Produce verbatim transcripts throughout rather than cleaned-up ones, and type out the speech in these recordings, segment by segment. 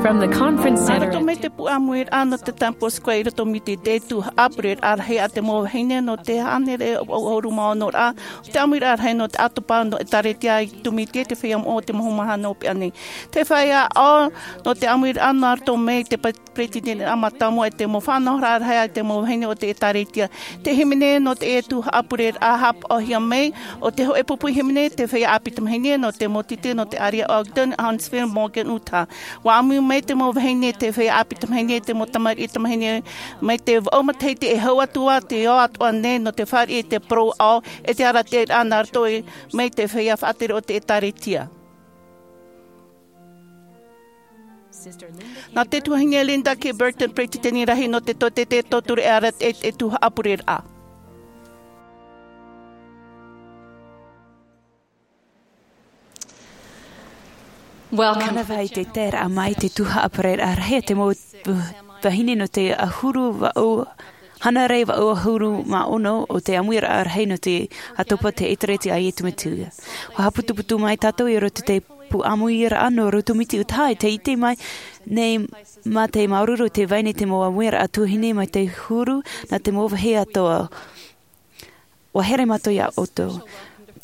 From the Conference Center. Nā roto mai te puʻe ʻāmuiraʻa nō te Temple Square i roto mai i te tuhaʻa pureraʻa rahi a te mau vahine nō te hānere ʻahuru mā ono ra, te ʻāmuiraʻa rahi nō te ʻātopa nō ʻĒtārētia i Tumiti, te feiā moʻa o te maha nō pea nei. Te feiā ʻo, nō te ʻāmuiraʻa nā roto mai te pa-, peretiteniraʻa mātāmua e te mau faʻanahoraʻa rahi a te mau vahine o te ʻĒtārētia. Te hīmene nō te tuhaʻa pureraʻa haʻapaʻohia mai, ʻo te hōʻē pupu hīmene, te feiā ʻāpī tamāhine nō te mau tītī nō te ʻārea Ogden, Huntsville, Morgan, Utah. ʻUa ʻāmui mai te mau vahine, te feiā ʻāpī tamāhine, te mau tamariʻi tamāhine, mai te vaʻu matahiti e hau atu ā, tei ʻō atoʻa nei nō te fāriʻi i te parau ʻāʻau, e te arataʻiraʻa nā roto i, mai te feiā faʻatere o te ʻĒtārētia. Nā te tuahine Linda K. Burton, peretiteni rahi nō te tōtete tauturu e arataʻi te tuhaʻa pureraʻa. Welcome. Mānava i te taeraʻa mai i te tuhaʻa pureraʻa rahi a te mau vahine nō te ʻahuru vaʻu, hānere vaʻu ʻahuru mā ono o te ʻāmuiraʻa rahi nō te ʻātopa o te ʻĒtārētia a Iesu Mesia. ʻUa haʻaputuputu mai tātou i roto i te puʻe ʻāmuiraʻa nō Roto Miti Utaha, e tē ʻite mai nei mā te māuruuru o te vai nei te mau ʻāmuiraʻa tuahine mai te huru nā te mau vāhi atoʻa. ʻUa here mātou iā ʻoutou.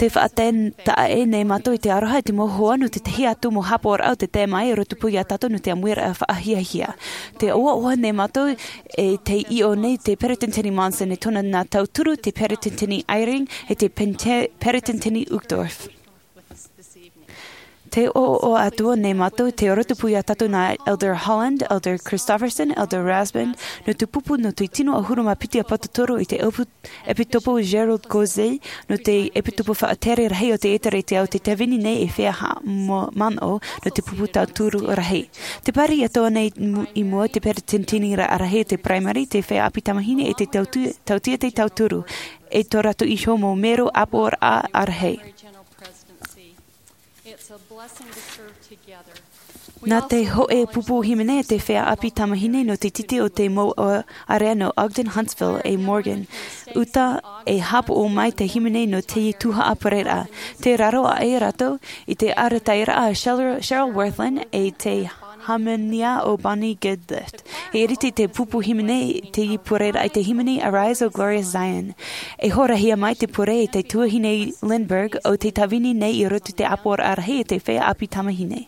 Tē faʻataetae nei mātou i te aroha i te mau hoa nō te tahi atu mau haʻapaʻoraʻa o tē tae mai i rotopū iā tātou nō te ʻāmuiraʻa faʻahiahia. Tē ʻoaʻoa nei mātou e tē ʻio nei te Peretiteni Monson e tōna nā tauturu, te Peretiteni Eyring, e te Pente-, Peretiteni Uchtdorf. Tē ʻoaʻoa atu nei mātou, tē rotopū iā tātou nā Elder Holland, Elder Christofferson, Elder Rasband, nō te pupu nō te tino ʻahuru mā piti ʻāpōsetolo i te ʻopu-, ʻEpitopo Gerald Caussé, nō te ʻEpitopo faʻatere rahi o te ʻĒtārētia, ʻo tē tāvini nei ei feiā haʻamanaʻo nō te pupu tauturu rahi. Tē parau atoʻa nei mu-, i mua te peretiteniraʻa rahi o te Primary, te feiā ʻāpī tamāhine e te tautu-, tauteatea tauturu, e tō rātou iho mau mero ʻāpōraʻa rahi. Nā te hōʻē pupu hīmene e te feiā ʻāpī tamāhine nō te tītī o te mau ʻārea nō Ogden, Huntsville e Morgan, Utah, e haʻapaʻo mai te hīmene nō te tuhaʻa pureraʻa. Tē raro aʻe rātou i te arataʻiraʻa a Cheryl, Cheryl Wirthlin e te hāmani o Bonnie Goodliffe. E ʻiriti te pupu hīmene i te pureraʻa i te hīmene Arise, O Glorious Zion. E horahia mai te pure e te tuahine Lindberg ʻo tē tāvini nei i roto i te ʻāpōraʻa rahi e te feiā ʻāpī tamāhine.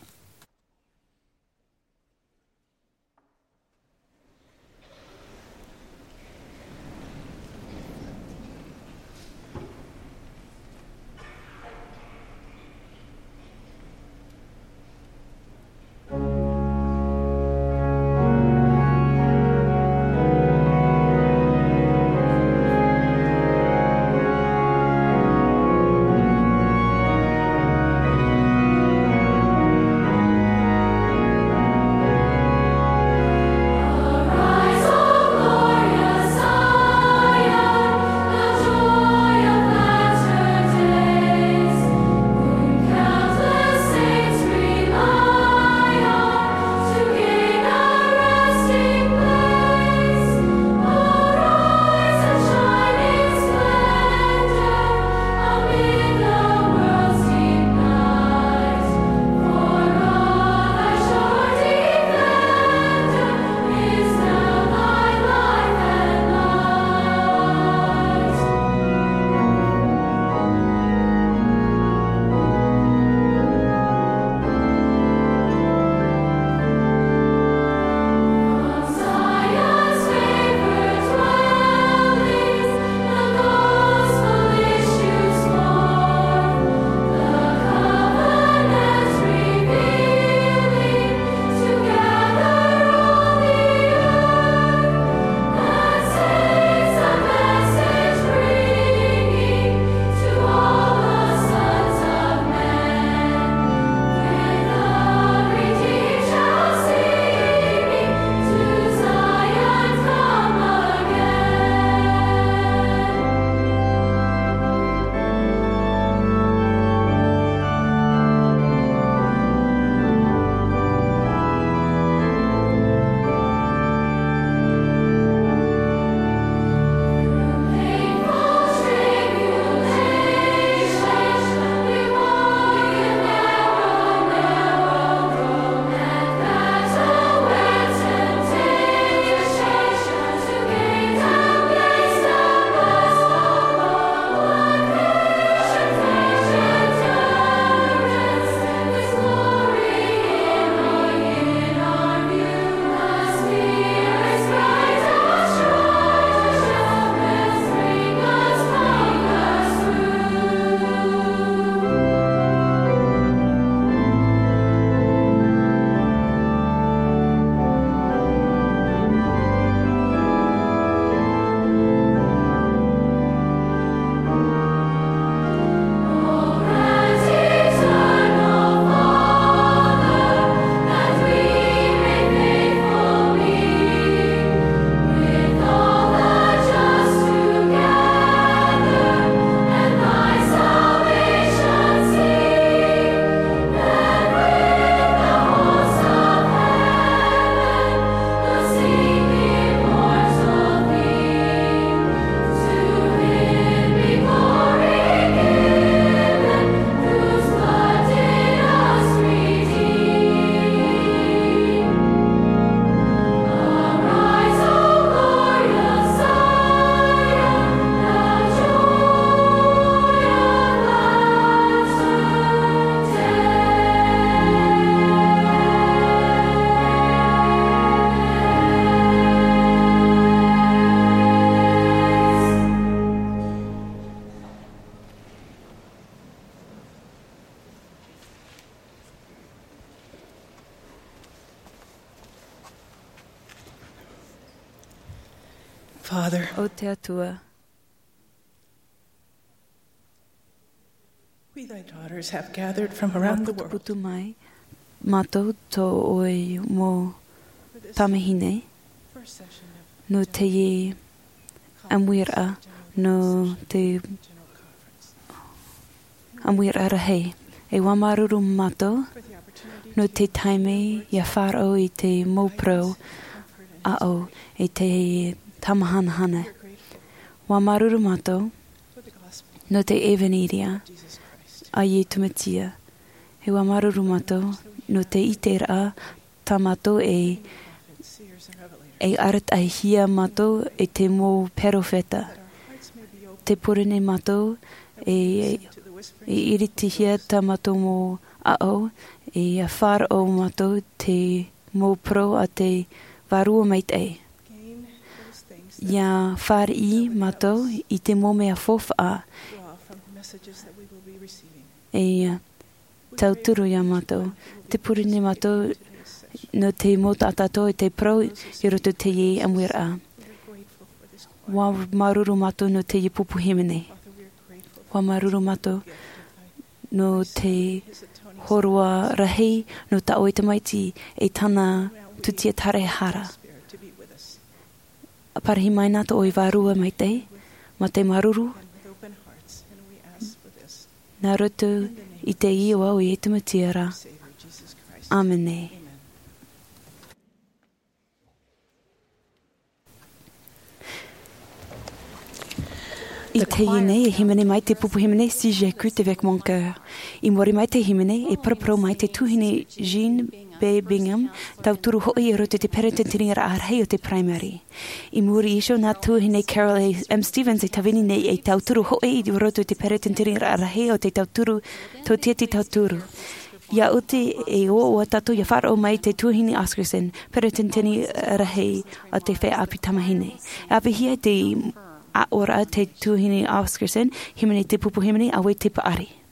Father, ʻo te Atua, we, thy daughters, have gathered from around the world. Putu mai mātou tō ʻoe mau tamahine nō teie ʻāmuiraʻa, nō te ʻāmuiraʻa rahi. E ʻua māuruuru mātou nō te taime ʻia faʻaroʻo i te mau parau aʻo i te tāmahanahana. ʻUa māuruuru mātou nō te ʻevaneria a Iesu Mesia. E ʻua māuruuru mātou nō te ʻiteraʻa tā mātou e, e arataʻihia mātou e te mau perofeta. Tē pure nei mātou e, e iritihia tā mātou mau aʻo, e ʻia faʻaroʻo mātou te mau parau a te Vārua Maitaʻi. ʻIa fāriʻi mātou i te mau mea faufaʻa e tauturu ia mātou. Tē pure nei mātou nō te mau taʻata atoʻa i te parau i roto i teie ʻāmuiraʻa. ʻUa māuruuru mātou nō teie pupu hīmene. ʻUa māuruuru mātou nō te hōroʻa rahi nō tā ʻoe Tamaiti e tāna tūtia tāraehara. Parahi mai na tō ʻoe Vārua Maitaʻi, mā te māuruuru, nā roto i te iʻoa o Iesu Mesia ra. ʻĀmene. I teie nei, e hīmene mai te pupu hīmene C J Cruitt avec mon cœur. I muri mai te hīmene, e paraparau mai te tuahine Jean B Bingham, tauturu hoʻi i roto i te peretiteniraʻa rahi o te Primary. I muri iho, nā tuahine Carol A M Stephens e tāvini nei ei tauturu hoʻi i roto i te peretiteniraʻa rahi o te tauturu, tōtiati tauturu. ʻIa oti e ʻoaʻoa tātou ʻia faʻaroʻo mai i te tuahine Oscarson, peretiteni rahi a te feiā ʻāpī tamāhine. E ʻāfaʻihia te ʻāʻoraʻa te tuahine Oscarson, hīmene te pupu hīmene, auē te paʻari.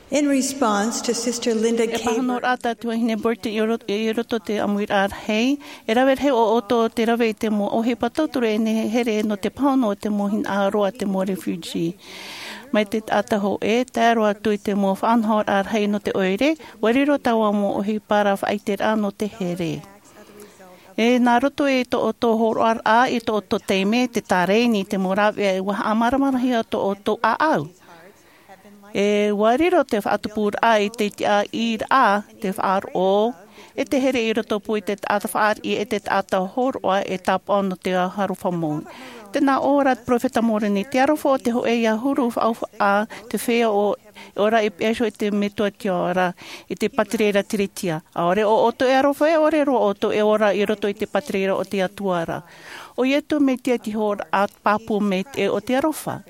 In response to Sister Linda E K. Pāhonoraʻa tā te vahine Burton i ro-, i roto te ʻāmuiraʻa rahi, e rave rahi ʻo ʻoutou te rave i te mau ʻohipa tauturu e nehenehe nō te pāhono o te mau hinaʻaro a te mau refugee. Mai te taʻata hōʻē, tae roa atu i te mau faʻanahoraʻa rahi nō te ʻoire, ʻua riro taua mau ʻohipa ra faʻaʻiteraʻa nō te here. E nā roto i tō ʻoutou hōroʻaraʻa, i tō ʻoutou taime, te tārēni, te mau rāveʻa, ʻua haʻamāramarahia tō ʻoutou ʻāʻau. E ʻua riro te faʻatupuraʻa i te tiʻaʻiraʻa, te faʻaroʻo, e te here i roto pū i te taʻata fāriʻi, e te taʻata hōroʻa, e tāpaʻo nō te aroha mau. Tēnā ʻō ra te peropheta Moroni, te aroha o te hōʻē ʻia huru faʻaufaʻa, te feiā ʻo, ʻo ʻoia i pihaʻi iho i te metua tiʻa ra, i te pātireia tiriti. ʻAore ʻo ʻoutou e aroha, e ʻore roa ʻoutou e ora i roto i te pātireia o te Atua ra. ʻO Iesu Mesia te hōroʻa pāpū maitaʻi o te aroha.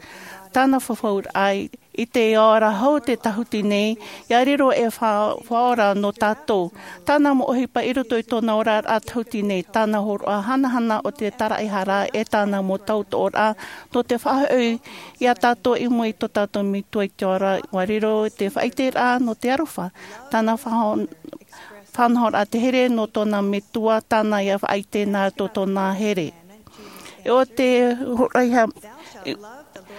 Tāna fafauraʻa i te ora hou te tahuti nei, ʻia riro e fa-, faʻaora nō tātou. Tāna mau ʻohipa i roto i tōna oraraʻa tahuti nei, tāna hōroʻa hanahana o te taraʻehara e tāna mau tautooraʻa, nō te faʻahoʻi iā tātou i mua i tō tātou metua i te ora, ʻua riro te faʻaʻiteraʻa nō te aroha. Tāna faʻahon-, faʻanahoraʻa te here nō tōna metua, tāna ʻia faʻaʻite nā tō tōna here. E ʻo te hōroʻa, e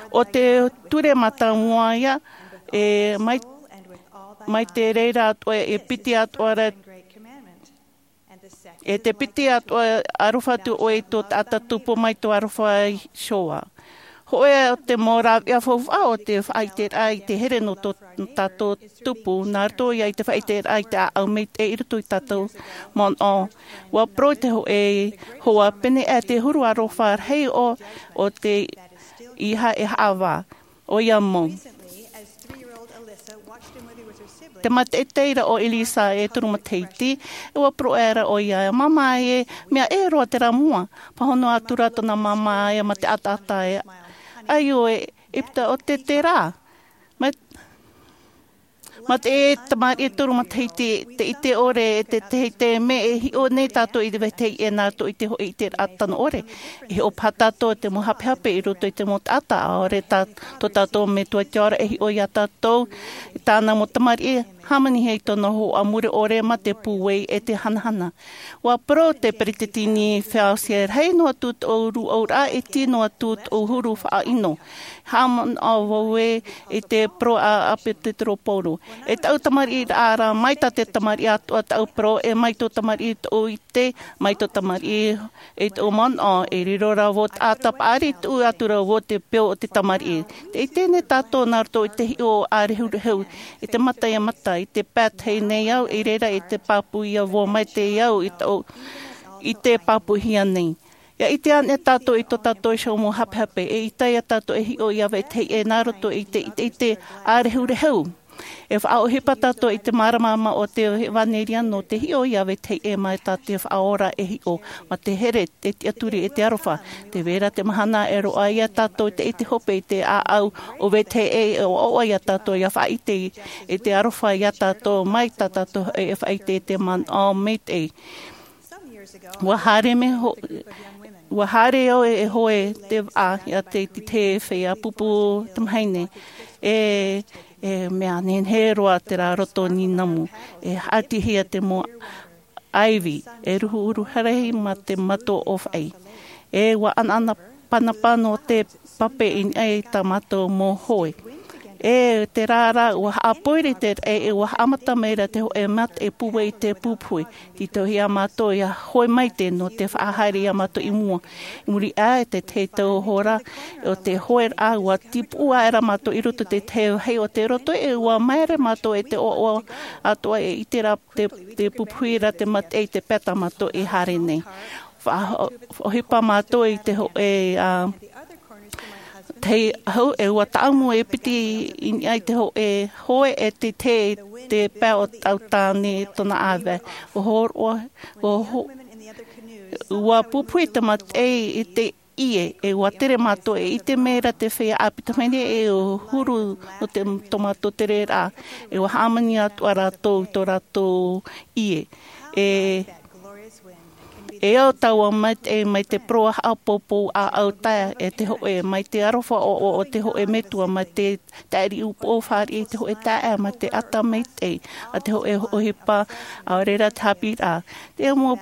ʻo te ture mātāmua ïa, e mai, mai te reira atoʻa, e piti atoʻa ra, e te piti atoʻa, aroha atu ʻoe i tō taʻata tupu mai tō aroha iho ā. Hōʻē ā te mau rāveʻa faufaʻa o te faʻaʻiteraʻa i te here nō tō tātou tupu, nā roto ïa i te faʻaʻiteraʻa i te ʻāʻau maitaʻi i roto i tātou manaʻo. ʻUa parau te hōʻē hoa, pēneiaʻe te huru aroha rahi o, o te ʻīaha e haʻavā. ʻOia mau. Te mātaʻitaʻi ra ʻo Elisa e toru matahiti, e ʻua parau aʻera ʻoia, māmā e, mea ʻē roa terā mua. Pāhono atu ra tōna māmā e mā te ʻataʻata e. ʻAio e, ʻEpita, ʻo te terā. Mā, mā te tamariʻi e toru matahiti, te ʻite ʻore e te, te, te mea e hiʻo nei tātou i te vetahi e nā roto i te hōʻē ʻiteraʻa tano ʻore. E hiʻo paha tātou te mau hapehape i roto i te mau taʻata, ʻaore tā, tō tātou metua i te ora e hiʻo iā tātou, tāna mau tamariʻi, hāmanihia i tōna hoa mure ʻore mā te pūai e te hanahana. ʻUa parau te peretiteni Faustus, rahi noa atu tōʻu rūʻauraʻa, e iti noa atu tōʻu huru faʻaʻino. Haʻamanaʻo vau ē i te parau a, a Peteru Paulo. E tāʻu tamariʻiraʻa ra, mai tā te tamariʻi atoʻa tāʻu parau, e mai tō tamariʻi tōʻu ʻite, mai tō tamariʻi e tōʻu manaʻo, e riro ra vau taʻata paʻari, tuʻu atu ra vau te peu o te tamariʻi. Tē ʻite nei tātou nā roto i te hiʻo ʻārehurehu, i te mata ʻia mata, i te pae tahi nei au, i reira i te pāpū ïa vau mai te au i tō, i te pāpūhia nei. ʻIa ʻite anaʻe tātou i tō tātou iho mau hapehape, e ʻaita ïa tātou e hiʻo iā vetahi ʻē nā roto i te, i te, i te ʻārehurehu. E faʻaʻohipa tātou i te māramarama o te ʻevanelia nō te hiʻo iā vetahi ʻē mai tā te Faʻaora e hiʻo, mā te here, te tiʻaturi e te aroha. Tē vai ra te mahana e roaʻa iā tātou te ʻite hope i te ʻāʻau o vetahi ʻē, e ʻoaʻoa iā tātou ʻia faʻaʻite i te aroha iā tātou mai tā tātou e faʻaʻite i te manaʻo maitaʻi. ʻUa haere mai ho-, ʻua haere au e hoe te vaʻa iā te, te, te feiā pupu tamahine. E, e mea nehenehe roa terā roto nīnamu. E haʻatihia te mau ʻāivi, e ruhuruhu rahi mā te mato ʻōfaʻi. E ʻua ʻanaʻana panapana nō te pape i niʻa i tā mātou mau hoe. E terā rā, ʻua haʻapoiri te raʻi, e ʻua haʻamata mai ra te hōʻē mataʻi pūai i te pupuhi. Tītauhia mātou ʻia hoe maitaʻi nō te faʻahaere iā mātou i mua. I muri aʻe i te tahi tau hora, ʻo te hoeraʻa, ʻua tīpuʻu aʻera mātou i roto i te tahi vāhi o te roto, e ʻua māere mātou e te ʻoaʻoa atoʻa e ʻite ra te, te pupuhi ra te mataʻi i te pae tā mātou i haere nei. Faʻa-, faʻaʻohipa mātou i te hōʻē, ā, tahi ahu, e ʻua tāʻamu e piti i niʻa i te hōʻē hoe e te, te, te pae o tāʻu tāne tōna ʻāvae. ʻUa hōroʻa, ʻua ho-, ʻua pupuhi te mataʻi i te ʻie, e ʻua tere mātou e ʻite mai ra te feiā ʻāpī tamahine e ʻua huru nō te, tō mātou tereraʻa, e ʻua hāmani atoʻa rātou i tō rātou ʻie. E E au taua maitaʻi mai te parau haʻapōpou ʻāʻau tae e te hoʻe mai te aroha ʻoʻoʻo o te hoʻe metua mai te taʻiri upoʻo fāriʻi te hoʻe taeaʻe mai te ata maitaʻi a te hoʻe ʻohipa. ʻAore rā te haʻapiʻiraʻa te mau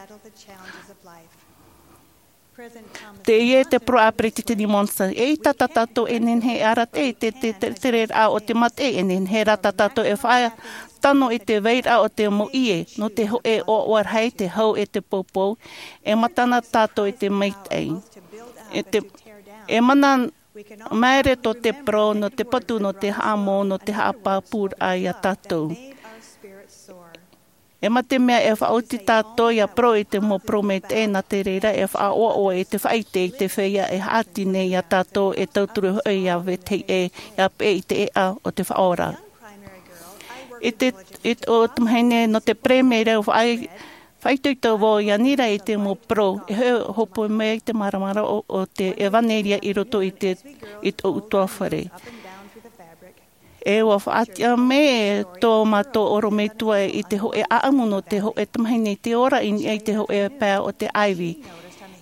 te ie te parau a peresideni monson e ʻita tā tātou e nehenehe e arataʻi te te te tereraʻa o te mataʻi e nehenehe rā tā tātou e faʻatano i te vairaʻa o te mau ie nō te hoʻe ʻoaʻoa rahi te hau e te poupou e matana tātou i te maitaʻi e te e mana maere tō te parau nō te patu nō te haʻamau nō te haʻapāpūraʻa iā tātou. E mā te mea e faʻaoti tātou ia parau i te mau parau maitaʻi nā te reira e faʻaʻoaʻoa i te faʻaite i te feiā e haʻati nei iā tātou e tauturu hoʻi ia vetahi ʻē ia peʻe i te ʻeʻa o te faʻaora. I te i te o te mahine nō te peremera faʻaitoito vau ia nira i te mau parau e hoʻe hopoi mai i te māramarama o te evanelia i roto i te i tōʻu tuafare. E ua faʻatiʻa mai tō mātou ʻorometua i te hoʻe ʻaʻamu nō te hoʻe tamahine i te ora i niʻa i te hoʻe pae o te ʻaivi.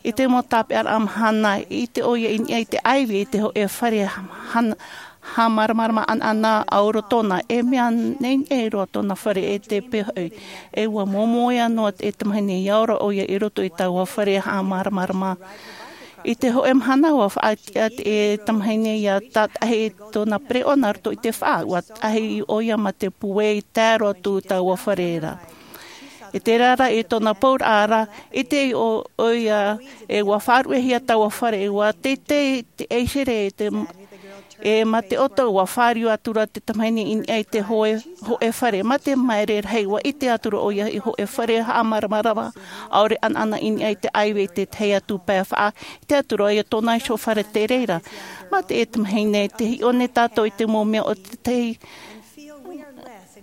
I te mau tāpeʻaraʻa mahana i te ʻoia i niʻa i te ʻaivi i te hoʻe fare hana haʻamāramarama ʻanaʻana ʻauro tōna e mea nei e roa tōna fare e te pēhoʻi. E ua momoia noa e tamahine ia ora ʻoia i roto i taua fare haʻamāramarama. I te hoʻe mahana ua faʻatiʻa te tamahine ia tātahi tōna pereʻoʻo nā roto i te faʻa ua tahi ʻoia mā te puē i tae roa atu taua fare ra. I te rara i tōna pauraʻa ra i te ʻoia e ua faʻaruʻehia taua fare ua teitei te ʻaisere e te e mā te ʻoto ua fāriu atu ra te tamahine i niʻa i te hoʻe fare mā te maere rahi ua ʻite atu ra ʻoia i hoʻe fare haʻamāramarama ʻaore ʻanaʻana i niʻa i te ʻaivi i te tahi atu pae faʻa i te atu ra ʻoia tōna iho fare te reira. Mā te e tamahine te hiʻo nei tātou i te mau mea o te tahi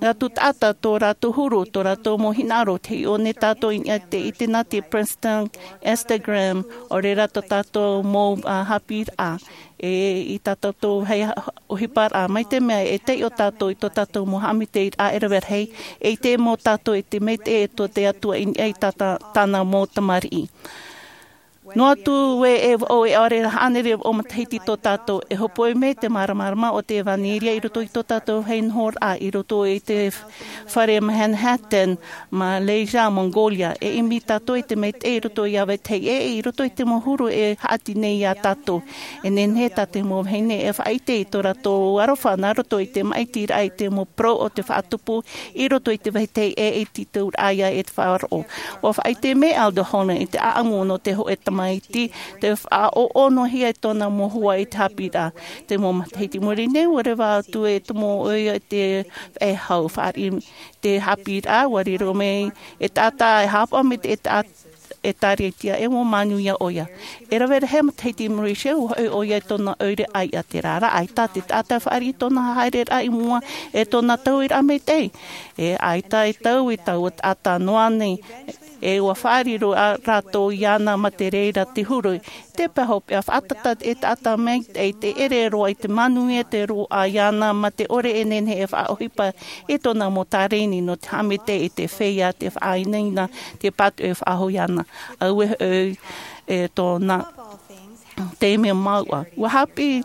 atu taʻata tō rātou huru tō rātou mau hinaʻaro te hiʻo nei tātou i niʻa i te ʻite nā te princeton instagram ʻaore rā tō tātou mau haʻapiʻiraʻa. E i tā tātou hei ʻohiparaʻa mai te mea e taiʻo tātou i tō tātou mau haʻamaitaʻiraʻa e rave rahi e i te mau tātou i te maitaʻi e tō te atua i niʻa i tāna mau tamariʻi. Noa atu ē e vaʻo e ʻaore rā hānere vaʻo matahiti tō tātou e hopoi mai te māramarama o te evanelia i roto i tō tātou hei nohoraʻa i roto i te fare manhattan, malaysia, mongolia e ʻimi tātou i te maitaʻi i roto i ʻāvaitahi ʻē i roto i te mau huru e haʻati nei iā tātou. E nehenehe tā te mau vahine e faʻaʻite i tō rātou aroha nā roto i te māʻitiraʻa i te mau parau o te faʻatupu i roto i te vāhi teie e tītauraʻa ia e te faʻaroʻo. Ua faʻaʻite mai elder holland i te ʻaʻamu nō te hoʻe tamaiti te faʻaʻoʻonohia i tōna mau hoa i te haʻapiʻiraʻa. Te mau matahiti muri nei ua reva atu e tomo ʻoia i te faʻehau faʻariʻi te haʻapiʻiraʻa ua riro mai e taʻata e haʻapaʻo mai te e taʻata e tāriatia e ua manuia ʻoia. E rave rahi matahiti malaysia ua hoʻi ʻoia i tōna ʻoire ʻaiʻa te rāraʻa ʻaita te taʻata e faʻariʻi tōna haereraʻa i mua e tōna tauiraʻa maitaʻi. E ʻaita e tau i taua taʻata noa nei e ua faʻariro rātou iāna mā te reira te huru. Te pae hopeʻa faʻatata e taʻata maitaʻi te ʻere roa i te manuia te roaʻa iāna mā te ʻore e nehenehe e faʻaʻohipa i tōna mau tāreni nō te haʻamaitaʻi i te feiā te faʻainaina te pātoʻi e faʻahoʻi ana. Auē hoʻi e tōna te mea māuʻa ua haʻapiʻi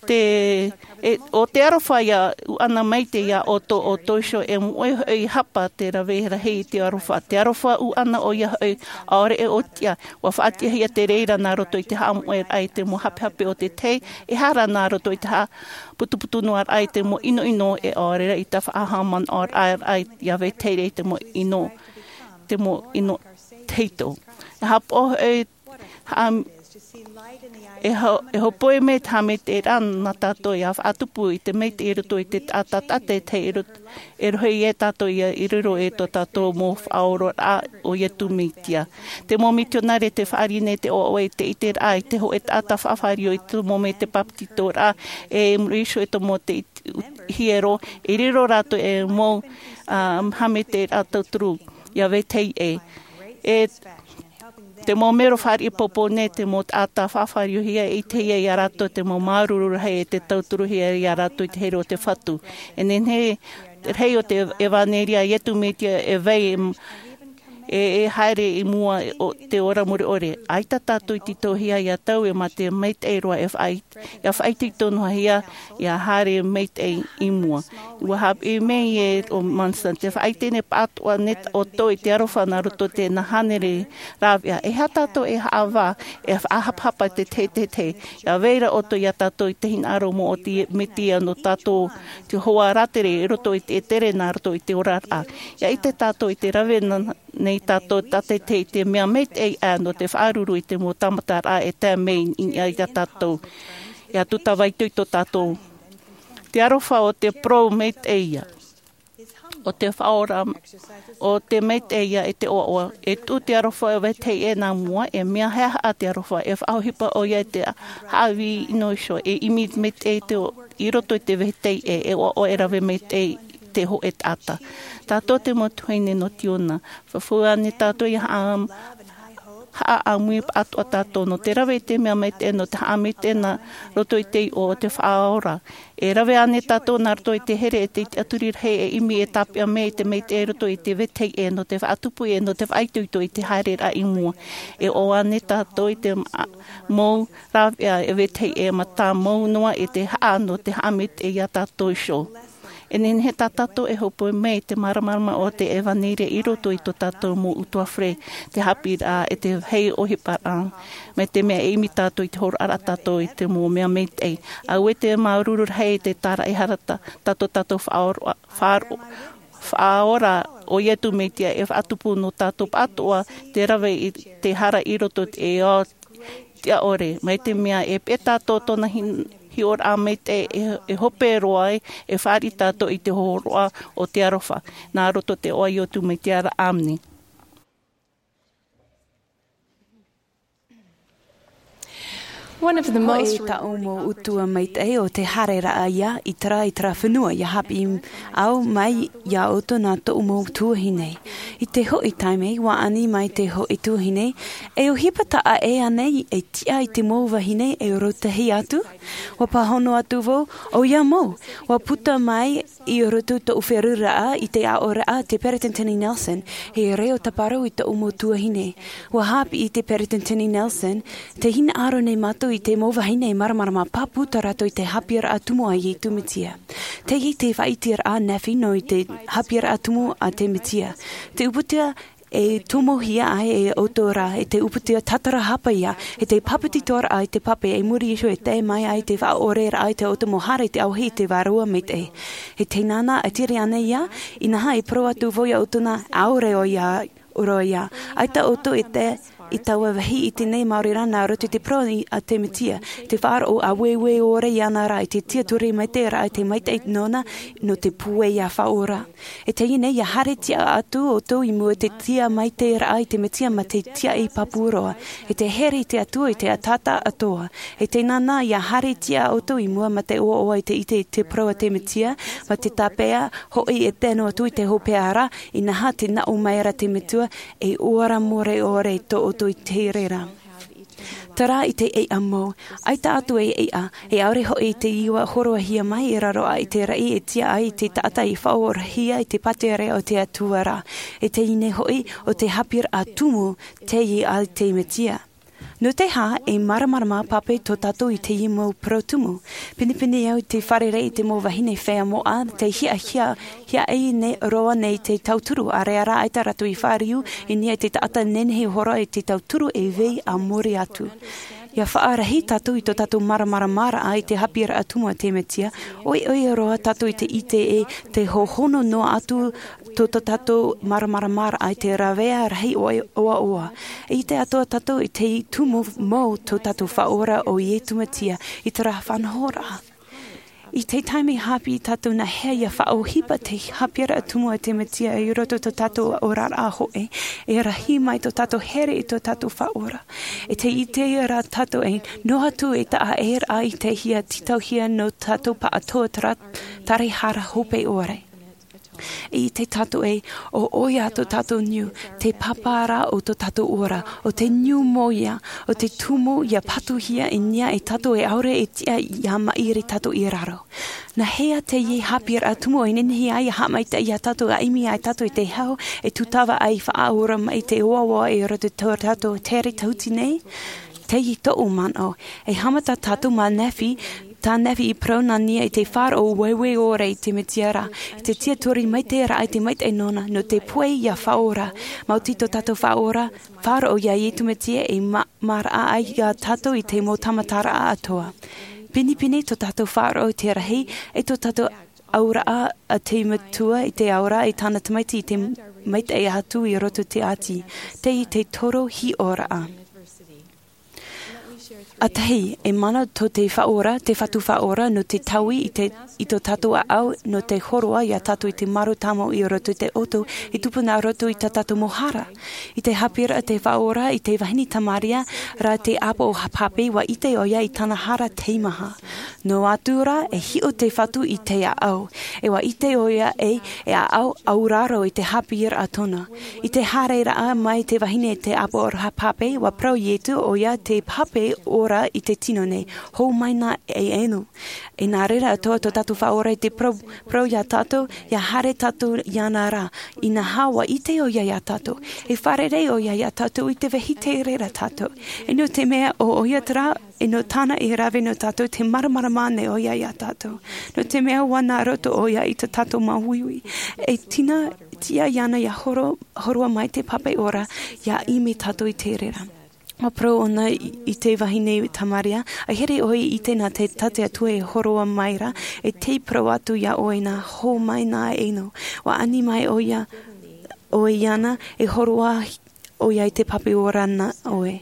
te e o te aroha ia uʻana mai te ia o tō o tō iho e moʻe hoʻi hapa te rave rahi i te aroha te aroha uʻana ʻoia hoʻi ʻaore e ʻōtiʻa. Ua faʻatiʻahia te reira nā roto i te haʻamoʻeraʻa i te mau hapehape o te tahi e hara nā roto i te haʻaputuputu noa raʻa i te mau ʻinoʻino e ʻaore rā i te faʻahaʻamanaʻoraʻa ia vetahi i te mau ʻino te mau ʻino tahito. E haʻapaʻo e haʻa e hopoi mai te haʻamaitaʻiraʻa nā tātou ia faʻatupu i te maitaʻi i roto i te taʻata taʻata e tahi e roto e rohe ia tātou ia i riro e tō tātou mau faʻaororaʻa o iesu mesia. Te mau mitionare te faʻaʻite nei te ʻoaʻoa i te ʻiteraʻa i te hoʻe taʻata faʻafāriu i te mau mea te bāpetizoraʻa e muri iho e te mau te hiero i riro rātou e mau haʻamaitaʻiraʻa tauturu ia vetahi ʻē. E te mau mero faʻariʻi popo nei te mau taʻata faʻafāriuhia e ʻitehia iā rātou te mau māuruuru rahi e te tauturuhia iā rātou i te here o te fatu. E nehenehe rahi o te evanelia iesu mesia e vai e e haere i mua o te ora mure ʻore. ʻAita tātou i tītauhia ia taui mā te maitaʻi roa e faʻaʻite ia faʻaʻite i tōna hia ia haere maitaʻi i mua. Ua haʻapiʻi mai e o Monson te faʻaʻite nei pātoʻa nei ʻoutou i te aroha nā roto i te hānere rāveʻa. E aha tātou e haʻavā e faʻahapahapa te teitei ia vai ra ʻoutou ia tātou i te hinaʻaro mō te mesia nō tātou te hoa rātere i roto i te tere nā roto i te oraraʻa. Ia ʻite tātou i te rave nei tātou tātaitahi i te mea maitaʻi ʻā nō te faʻaruru i te mau tāmataraʻa e tae mai i niʻa ia tātou. Ia tūtavaitoito tātou te aroha o te parau maitaʻi ia o te faʻaora o te maitaʻi ia e te ʻoaʻoa e tuʻu te aroha e vetahi e nā mua e mea haʻehaʻa te aroha e faʻaʻohipa ʻoia i te haʻavī ʻino iho e ʻimi maitaʻi te i roto i te vetahi e e ʻoaʻoa e rave maitaʻi te hoʻe taʻata. Tātou te mau tuahine nō tiona faʻaʻamu nei tātou ia haʻa haʻaʻamu pātoʻa tātou nō te rave i te mea maitaʻi nō te haʻamaitaʻi nā roto i te iʻoa o te faʻaora. E rave ānei tātou nā roto i te here e te tiʻaturi rahi e ʻimi e tāpeʻa mai i te maitaʻi i roto i te vetahi e nō te faʻatupu e nō te faʻaitoito i te haereraʻa i mua? E ʻoaʻoa ānei tātou i te mau rāveʻa e vetahi e mā tā mau noa i te haʻa nō te haʻamaitaʻi ia tātou iho? E nehenehe tā tātou e hōpoi mai i te māramarama o te ʻevanelia i roto i tō tātou mau utuafare, te haʻapiʻiraʻa e te vāhi ʻohiparaʻa mai te mea e ʻimi tātou i te hōroʻaraʻa tātou i te mau mea maitaʻi. Auē te māuruuru rahi i te tāraʻehara tātou tātou faʻaora faʻaora o iesu mesia e faʻatupu nō tātou pātoʻa te rave i te hara i roto i te ao tiʻa ʻore mai te mea e pē tātou tōna hiʻoraʻa maitaʻi e hope roa ai e fāriʻi tātou i te hōroʻa o te aroha nā roto i te iʻoa o iesu mesia. Āmene. One of the most rewarding taʻu mau utuafare maitaʻi o te haereraʻa ia i terā i terā fenua ia haʻapiʻi au mai ia ʻoutou nā tōʻu mau tuahine. I te hoʻi taime ua ani mai te hoʻi tuahine, e ʻohipa taʻa ʻē ānei e tiʻa i te mau vahine e rōtahi atu? Ua pāhono atu vau, ʻoia mau. Ua puta mai i roto tōʻu feruriraʻa i te aʻoraʻa te peresideni nelson, e reo tāparu i tōʻu mau tuahine. Ua haʻapiʻi te peresideni nelson, te hinaʻaro nei mātou i te mau vahine e māramarama pāpū tā rātou i te haʻapiʻiraʻa tumu a iesu mesia. Teie te faʻaiteraʻa nehenehe nō i te haʻapiʻiraʻa tumu a te mesia. Te ʻūputa e tomohia ai e ʻoutou rā e te ʻūputa tātarahapa ia e te pāpetitoraʻa i te pape e muri iho e tae mai ai te faʻaʻoreraʻa i te ʻoutou mau hara i te ʻauhei i te vārua maitaʻi. E tēnā nā e tere ana ia, inaha e parau atu vau ia ʻoutou nā ʻaore ʻoia roa ia. ʻAita ʻoutou e tae i taua vāhi i teie nei maori rā nā roto i te parau a te mesia, te faʻaroʻo ʻāueue ʻore iāna rā i te tiʻaturi maitaʻi rā i te maitaʻi nōna nō te pūai ia faʻaora. E teie nei ia haere tiʻa atu ʻoutou i mua i te tiʻa maitaʻi rā i te mesia mā te tiaʻi pāpū roa, e te here i te atua i te taʻata atoa. E tēnā nā ia haere tiʻa ʻoutou i mua mā te ʻoaʻoa i te ʻite i te parau a te mesia, mā te tāpeʻa hoʻi e tae noa atu i te hopeʻa rā, inaha te naʻo mai ra te metua, e ora more ʻore tō ʻoutou i te reira. Terā i te ʻeiʻa mau, ʻaita atu e ʻeiʻa, e ʻaore hoʻi i te iʻoa horoʻahia mai e raro aʻe i te raʻi e tiʻa ai i te taʻata i faʻaorahia i te pātireia o te atua rā. E teie nei hoʻi o te haʻapiʻiraʻa tumu teie a te mesia. Nō te hā e māramarama pape tō tātou i teie mau parau tumu? Pinepine au i te fārerei i te mau vahine feiā moʻa te hiahia hiaʻai nei roa nei te tauturu ʻāreʻa rā ʻaita rātou i fāriu i niʻa i te taʻata nehenehe hora i te tauturu e vai a muri atu. Ia faʻarahi tātou i tō tātou māramarama raʻa i te haʻapiʻiraʻa tumu a te mesia, ʻoiʻoi roa tātou i te ʻite e te hohono noa atu tō tō tātou māramarama raʻa i te rāveʻa rahi ʻoaʻoa. E ʻite atoʻa tātou i te tumu mau tō tātou faʻaora o iesu mesia i te rā faʻanahoraʻa. I te taime haʻapiʻi tātou nā hea ia faʻaʻohipa te haʻapiʻiraʻa tumu a te mesia i roto tō tātou oraraʻa hoʻi, e rahi mai tō tātou here i tō tātou faʻaora. E te ʻite rā tātou e noa atu e taʻa ʻē rā i te hia tītauhia nō tātou paʻatoʻa tarahara hope ʻore. I te tātou e, ʻo ʻoia tō tātou niu, te pāpā rā o tō tātou ora, ʻo te niu mōia, ʻo te tumu ia patuhia i niʻa e tātou e ʻaore e tiʻa ia maʻiri tātou i raro. Nā hea teie haʻapiʻiraʻa tumu e nehenehe ai ia haʻamaitaʻi ia tātou, ia ʻimi ai tātou i te hau e tūtava ai faʻaora mai te oaoa i roto i tō tātou tere tahuti nei? Teie tōʻu manaʻo. E haʻamata tātou mā Nephi, tā Nephi i parau nā niʻa i te faʻaroʻo ueue ʻore i te Mesia ra, i te tiʻaturi maitaʻi raʻa i te maitaʻi nōna, nō te puai ia faʻaora, maoti tō tātou faʻaora, faʻaroʻo ia Iesu Mesia e ma-, maraʻa ai ia tātou i te mau tāmataraʻa atoʻa. Pinepine tō tātou faʻaroʻo i te rahi, e tō tātou auraʻa a te Metua i te ao ra, e tāna tamaiti i te maitaʻi atu i roto i te ati. Teie te toro hiʻoraʻa. ʻA tahi, e mana tō te faʻaora, te Fatu Faʻaora, nō te taui i te, i tō tātou ʻāʻau, nō te hōroʻa ia tātou i te marū tāmau i roto i te ʻoto, i tupu nā roto i tā tātou mau hara. I te haʻapiʻiraʻa te Faʻaora i te vahine Tamaria ra te ʻāpoʻo haʻapape, ʻua ʻite ʻoia i tāna hara teimaha. Noa atu rā, e hiʻo te Fatu i te ʻāʻau. E ʻua ʻite ʻoia e, e ʻāʻau auraro i te haʻapiʻiraʻa tōna. I te haereraʻa mai te vahine te ʻāpoʻo haʻapape, ʻua parau Iesu ʻoia te pape ora i te tino nei. Hou mai nā e ʻeno. E nā reira atoʻa tō tātou Faʻaora i te parau, parau ia tātou, ia haere tātou iāna ra. Inaha, ʻua ʻite ʻoia ia tātou. E fārerei ʻoia ia tātou i te vehite reira tātou. E nō te mea ʻo ʻoia terā, e nō tāna e rave nō tātou, te māramarama nei ʻoia ia tātou. Nō te mea ʻua nā roto ʻoia i tā tātou māuiui. E tīna, tiʻa iāna ia horo, hōroʻa mai te pape ora, ia ʻimi tātou i te reira. ʻUa parau ʻōna i, i te vahine Tamaria, ʻa here ʻoe i ʻite nā te, tā te Atua e hōroʻa mai ra, e tē parau atu ia ʻoe nā, hou mai nā e ʻeno. ʻUa ani mai ʻoia, ʻoe iāna, e hōroʻa ʻoia i te pape ora nā ʻoe.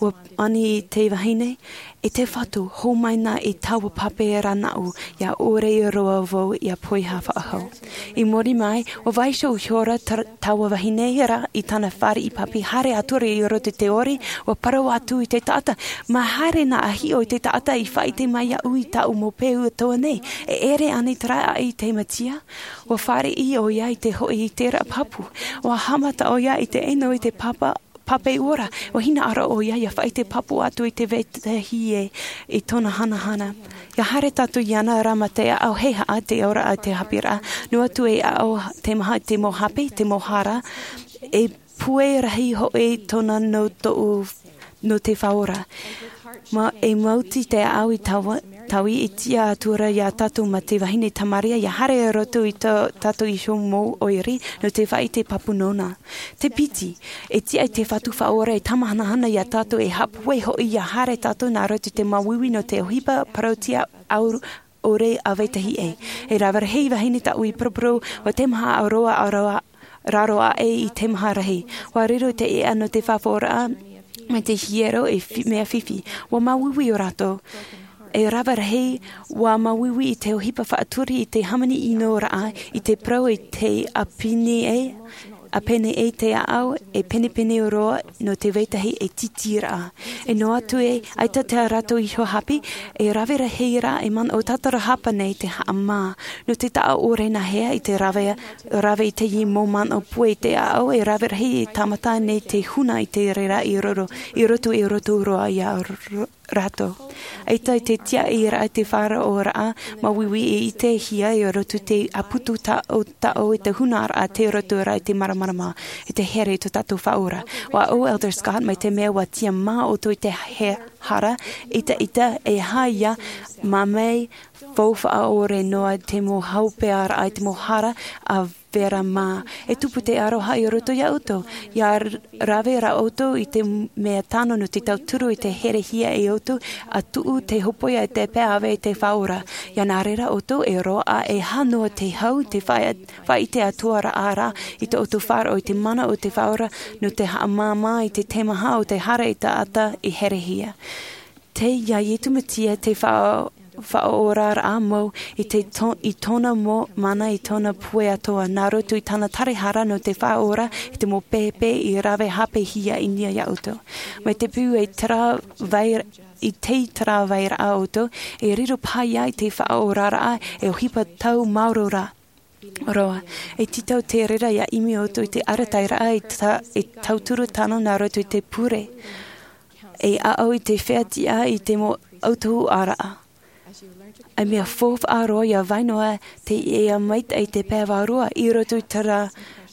ʻUa ani i te vahine, e te Fatu, hou mai nā i taua pape ra nāʻu, ia ʻore roa vau ia poiha faʻahou. I muri mai, ʻua vaiiho ihora ta-, taua vahine ra i tāna fāriʻi pape, haere atu ra i roto i te ʻori, ʻua parau atu i te taʻata, mā haere nā ʻa hiʻo i te taʻata i faʻaʻite mai iāʻu i tāʻu mau peu atoʻa nei, e ʻere ānei terā i te Mesia? ʻUa fāriʻi ʻoia i te hoʻi i terā pāpū. ʻUa haʻamata ʻoia i te ʻeno i te papa, pape ora. ʻUa hinaʻaro ʻoia ia faʻaʻite pāpū atu i te vetahi ē i tōna hanahana. Ia haere tātou iāna ra mā te ʻāʻau heihaʻa te auraʻa te haʻapiʻiraʻa. Noa atu e ʻāʻau teimaha te mau hape, te mau hara. E pue rahi hoʻi tōna nō tōʻu, nō te Faʻaora. Mā, e maoti te ʻāʻau i taua, taui e tiʻa atu ra ia tātou mā te vahine Tamaria, ia haere roto i tō, tātou iho mau ʻoire, nō te faʻaʻite pāpū nōna. Te piti, e tiʻa i te Fatu Faʻaora e tāmahanahana ia tātou e haʻapūai hoʻi ia haere tātou nā roto i te māuiui nō te ʻohipa parauʻtiʻa au ʻore ʻa vetahi ʻē. E rave rahi vahine tāʻu i paraparau, ʻua teimaha roa ʻa roa, raro aʻe i teimaha rahi. ʻUa riro te ʻēʻa nō te faʻaʻoraʻa, mai te hiero e fi-, mea fifi. ʻUa māuiui ʻo rātou. E rave rahi, ʻua māuiui i te ʻohipa faʻaturi i te hāmani ʻino raʻa, i te parau i te ʻāpene ē, ʻāpene ē te ʻāʻau, e penepene roa nō te vetahi e tītī raʻa. E noa atu ē, ʻaita tā rātou iho hape, e rave rahi rā e manaʻo tātarahapa nei te haʻamā. Nō te taʻa ʻore nā hea i te rave, rave i teie mau manaʻo pue i te ʻāʻau, e rave rahi e tāmata nei te huna i te reira i roro, i roto, i roto roa ia ro-, rātou. ʻAita i te tiaʻiraʻa te faʻaroʻoraʻa māuiui e ʻitehia i roto te ʻāputu taʻo, taʻo i te hunaraʻa te roto ra i te māramarama, i te here i tō tātou Faʻaora. ʻUa ʻo Elder Scott, mai te mea ʻua tiʻa mā ʻoutou i te he-, hara, ʻita, ʻita, e aha ia, mā mai, faufaʻa ʻore noa te mau haʻapearaʻa i te mau hara, ʻa vera mā. E tupu te aroha i roto ia ʻoutou. Ia r-, rave rā ʻoutou i te mea tano nō te tauturu i te herehia e ʻoutou, ʻa tuʻu te hōpoiʻa e te pae ʻāvae i te Faʻaora. Ia nā reira ʻoutou e roaʻa e aha noa te hau, te faʻa-, faʻaʻite atoʻa ra, ʻa rā, i tō ʻoutou faʻaroʻo i te mana o te Faʻaora, nō te haʻamāmā i te teimaha o te hara i taʻata i herehia. Tei ia Iesu Mesia te faʻa-, faʻaoraraʻa mau i te to-, i tōna mau mana, i tōna pue atoʻa, nā roto i tāna tāraharaʻa nō te Faʻaora, i te mau pēpē i rave hāpihia i niʻa ia ʻoutou. Mai te peu e terā vai-, i te terā vairaʻa ʻoutou, e riro paha ia i te faʻaoraraʻa, e ʻohipa tau maoro ra. roa. E tītau te reira ia ʻimi ʻoutou i te arataʻiraʻa e tauturu tano nā roto i te pure, e aʻo i te fea tiʻa i te mau autahuʻaraʻa. E mea faufaʻa roa ia vai noa te ia maitaʻi te pae vārua i roto i terā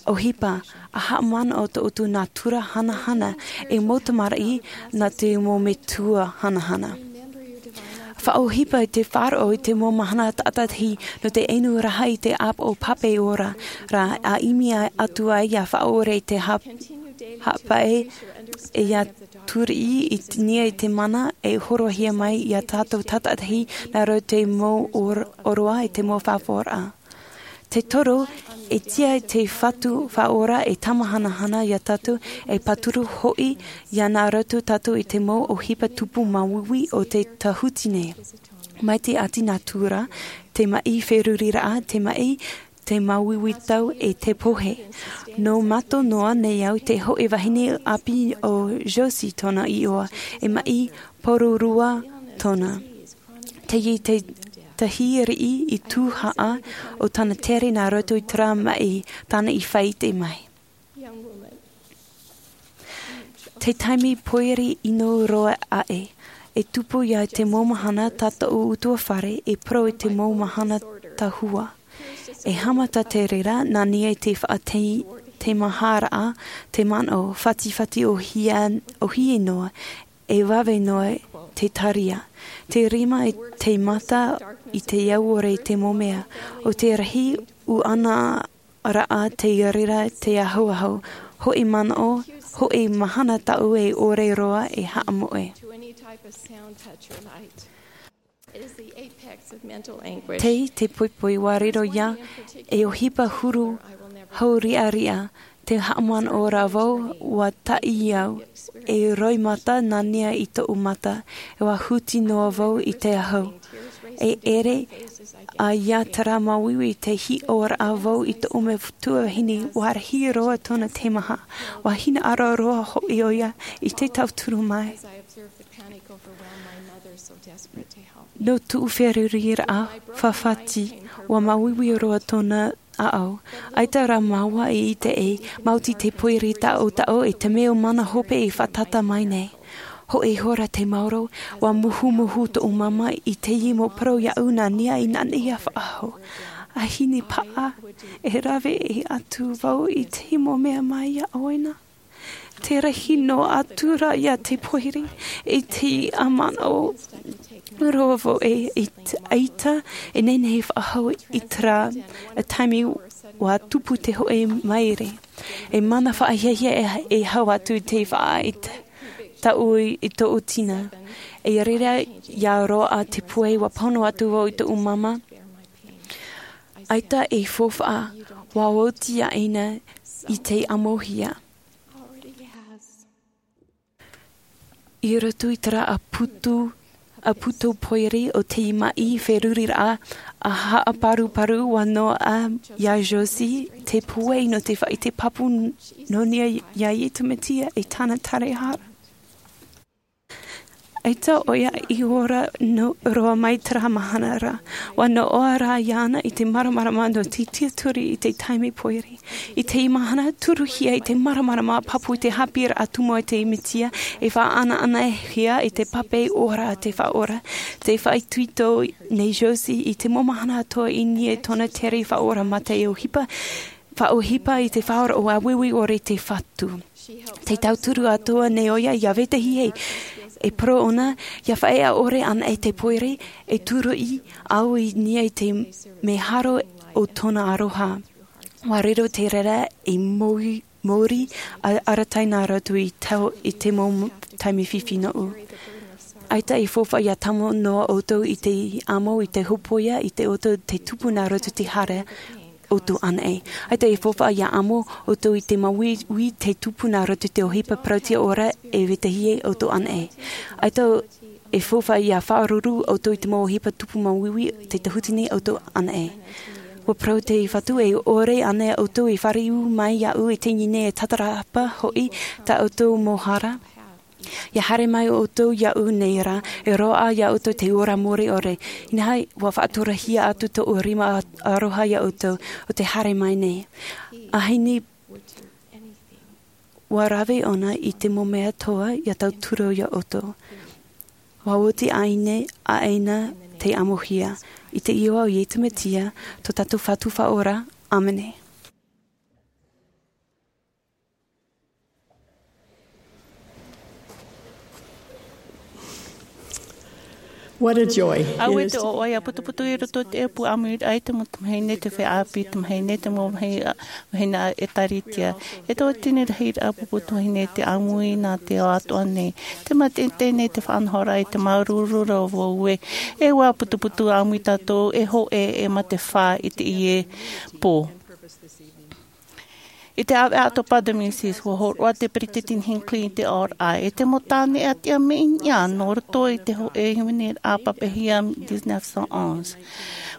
ʻohipa, a haʻamanaʻo tō ʻoutou nātura hanahana, e mau tamariʻi nā te mau metua hanahana. Faʻaʻohipa i te faʻaroʻo i te mau mahana tātaʻitahi nō te inu rahi i te ʻāpoʻo pape ora, rā a ʻimi atu ai ia faʻaʻore i te hāpaʻe, e ia tūriʻi i nia i te mana e horohia mai ia tātou tātaʻitahi nā roto i te mau ʻoroʻa i te mau faʻaʻoraʻa. Te toru, e tia i te Fatu Faʻaora e tamahanahana ia tātou, e pāturu hoʻi ia nā roto tātou i te mau ʻohipa tupu māuiui o te tāhuti nei. Mai te ʻati nātura, te maʻi feruriraʻa, te maʻi, te māuiui tau e te pohe. Nō mato noa nei au te hoʻi vahine ʻāpī o Josie tōna iʻoa, e maʻi Pororua tōna. Teie te tahi riʻi i tūhaʻa o tāna tere nā roto i terā maʻi tāna i faʻaʻite mai. Te taime pōiri ʻino roa aʻe, e tupu ia te mau mahana tā tōʻu utuafare e parau i te mau mahana tahua. E haʻamata te reira nā nia i te faʻateimaharaʻa, te manaʻo fatifati ʻohie noa, e vave noa te taria. Te rima i te mata i te au ʻore i te mau mea, ʻo te rahi ʻuʻana raʻa te reira te ahoaho, hoʻi manaʻo, hoʻi mahana taʻu e ʻore roa e haʻamoʻe. Tei te poipoi ua riro ia e ʻohipa huru hauriʻariʻa, te haʻamanaʻo rā vau ua taʻi au e roimata nā nia i tōʻu mata, e ua huti noa vau i te ahu. E ʻere a ia terā māuiui te hiʻoraʻa vau i tōʻu metua vahine, ua rahi roa tōna teimaha, ua hinaʻaro roa hoʻi ʻoia i te tauturu mai. Nō tōʻu feruriraʻa fafati, ua māuiui roa tōna ʻaʻau. ʻAita rā māua i ʻite e maoti te pōiri taʻotaʻo e te mea mana hope e fātata mai nei. Hoʻi hora te maoro, ua muhumuhu tōʻu māmā i teie mau parau iaʻu nā nia i nānaʻi ia faʻaʻahu. A hine paʻa, e rave atu vau i teie mau mea mai ia ʻoe na. Te rahi noa atu rā ia te pōiri, i te ʻamanaʻo roa vau e ʻaita e nehenehe faʻaʻahu i terā taime ua tupu te hoʻi maere. E mana faʻahiahia e hau atu te faʻaʻite taʻu i tōʻu tina. E reira ia roaʻa te pūai ua pono atu vau i tōʻu māmā. ʻAita e faufaʻa, ua oti ia ʻaina i te ʻamohia. I roto i terā ʻāputu, ʻāputu pōiri o te maʻi feruriraʻa a haʻaparuparu ua noaʻa ia Josie te pūai nō te faʻaʻite pāpū nō nia ia Iesu Mesia e tāna tārahara. ʻAita ʻoia i ora roa mai terā mahana ra, ua noaʻa rā iāna i te māramarama nō te tiaturi i te taime pōiri. I te mahana turuhia i te māramarama pāpū i te haʻapiʻiraʻa tumu a te Mesia, e faʻaʻanaʻanahia i te pape ora a te Faʻaora. Te faʻaitoito nei Josie i te mau mahana atoʻa i niʻa i tōna tere faʻaora mā te ʻohipa, faʻaʻohipa i te faʻaora ua uiui ʻore i te Fatu. Te tauturu atoʻa nei ʻoia ia vetahi e, e parau ʻōna, ia faʻaea ʻore anaʻe te pōiri, e tūruʻi au i niʻa i te mea haro o tōna aroha. Ua riro te reira e mōri, mōri a, arataʻi nā rātou i tau, i te mau taime fifi noʻu. ʻAita e faufaʻa ia tāmau noa ʻoutou i te amo, i te hōpoiʻa, i te ʻoto, te tupu nā roto te hara ʻoutou anaʻe. ʻAita e faufaʻa ia amo ʻoutou i te māuiui te tupu nā roto te ʻohipa parauʻtiʻa ora e vetahi ai ʻoutou anaʻe. ʻAita e faufaʻa ia faʻaruru ʻoutou i te mau ʻohipa tupu māuiui te tāhuti nei ʻoutou anaʻe. Ua parau te Fatu e ʻore anaʻe ʻoutou e fāriu mai iāʻu i teie nei e tātarahapa hoʻi tā ʻoutou mau hara. Ia haere mai ʻoutou iaʻu nei ra, e roaʻa iā ʻoutou te ora mure ʻore. Inaha, ua faʻaturahia atu tōʻu rima aroha iā ʻoutou, ʻo te haere mai nei. ʻAhani, ua rave ʻōna i te mau mea atoʻa ia tauturu iā ʻoutou. Ua oti ʻaʻe nei, ʻaʻe nei te ʻamuhia. I te iʻoa o Iesu Mesia, tō tātou Fatu Faʻaora. ʻĀmene. What a joy. Auē te ʻoaʻoa ia putuputu i roto i te ʻēpuaʻa ʻāmui raʻa i te mau tamahine, te feiā ʻāpī tamahine, te mau vahine ʻēkālesia. E tō tini rahi raʻa pupu tuahine te ʻāmui nā te ao atoʻa nei. Te mātaʻitaʻi nei te faʻanahoraʻa i te māuruuru ra vau ē. E ua putuputu ʻāmui tātou e hōʻē e mā te fā i teie pō. I te ʻāvaʻe ʻātopa de mil six, ua hōroʻa te Peresideni Hinckley i te ʻōroʻa, e te mau tāne ʻātiʻa mea ʻiʻa nō roto i te hōʻē hīmene raʻa pāpaʻihia dix-neuf cent onze.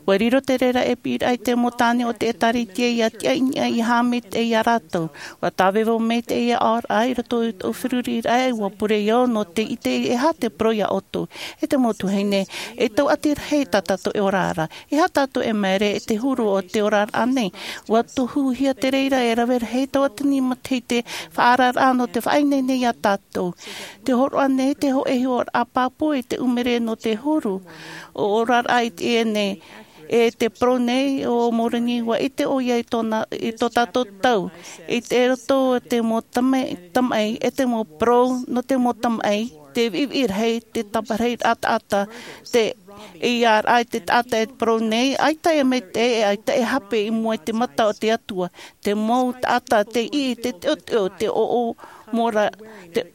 Ua riro te reira e piʻiraʻa i te mau tāne o te ʻēkālesia ia tiʻa i niʻa i haʻamaitaʻi iā rātou. Ua tāvevo mai teie ʻōroʻa i roto i tōʻu feruriraʻa, ua pure au nō te ʻite e aha te parau iā ʻoutou. E te mau tuahine, e tauʻati rahi tā tātou e ora ra. E aha tātou e māere i te huru o te oraraʻa nei? Ua tohuhia te reira e rave rahi tauatini matahiti faʻaoraraʻa nō te faʻaineine iā tātou. Te hōroʻa nei te hōʻē hiʻoraʻa pāpū i te ʻumere nō te huru o oraraʻa i teie nei. E te parau nei o Moroni, ua ʻite ʻoia i tōna, i tō tātou tau. I te roto o te mau tamaʻi, tamaʻi, e te mau parau nō te mau tamaʻi, te viʻiviʻi rahi, te tāparahiraʻa taʻata, te ʻeiaʻa i te taʻata e parau nei, ʻaita e maitaʻi, ʻaita e hape i mua i te mata o te Atua. Te mau taʻata, te iʻi, te teoteo, te ʻoʻo mora, te,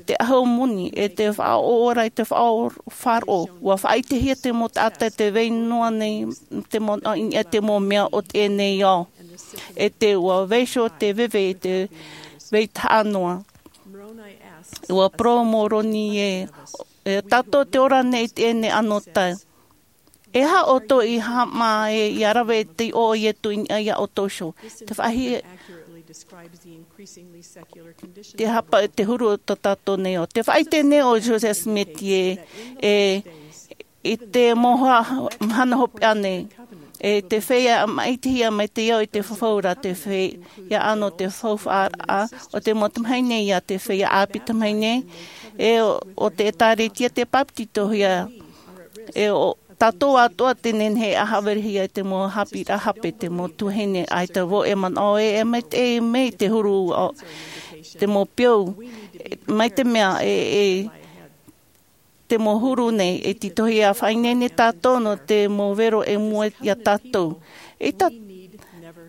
te ʻahu moni, e te faʻaora i te faʻaora faʻaroʻo. Ua faʻaʻitehia te mau taʻata te vai noa nei, te mau, i niʻa i te mau mea o teie nei ao. E te ua vaiiho te veve i te vai tahaʻa noa. Ua parau Moroni ē, e tātou te ora nei i teie nei anotau. E aha ʻoutou i haʻamā ē ia rave te iʻoa o Iesu i niʻa iā ʻoutou iho? Te faʻahi-, te hapa, te huru o tō tātou nei ao. Te faʻaʻite nei o Joseph Smith ē, e, i te mau ha-, mahana hopeʻa nei, e te feiā maʻitihia mai te ao i te fafauraʻa, te feiā ʻano te faufaʻaraʻa o te mau tamahine ia te feiā ʻāpī tamahine, e o, o te ʻēkālesia te bāpetizohia, e o tātou atoʻa te nehenehe e haʻaverehia i te mau haʻapiʻiraʻa hape, te mau tuahine, ʻaita vau e manaʻo ē, e maitaʻi mai te huru o te mau peu, mai te mea e, e, te mau huru nei, e tītauhia faʻaineine tātou nō te mau vero e mua iā tātou. E tā,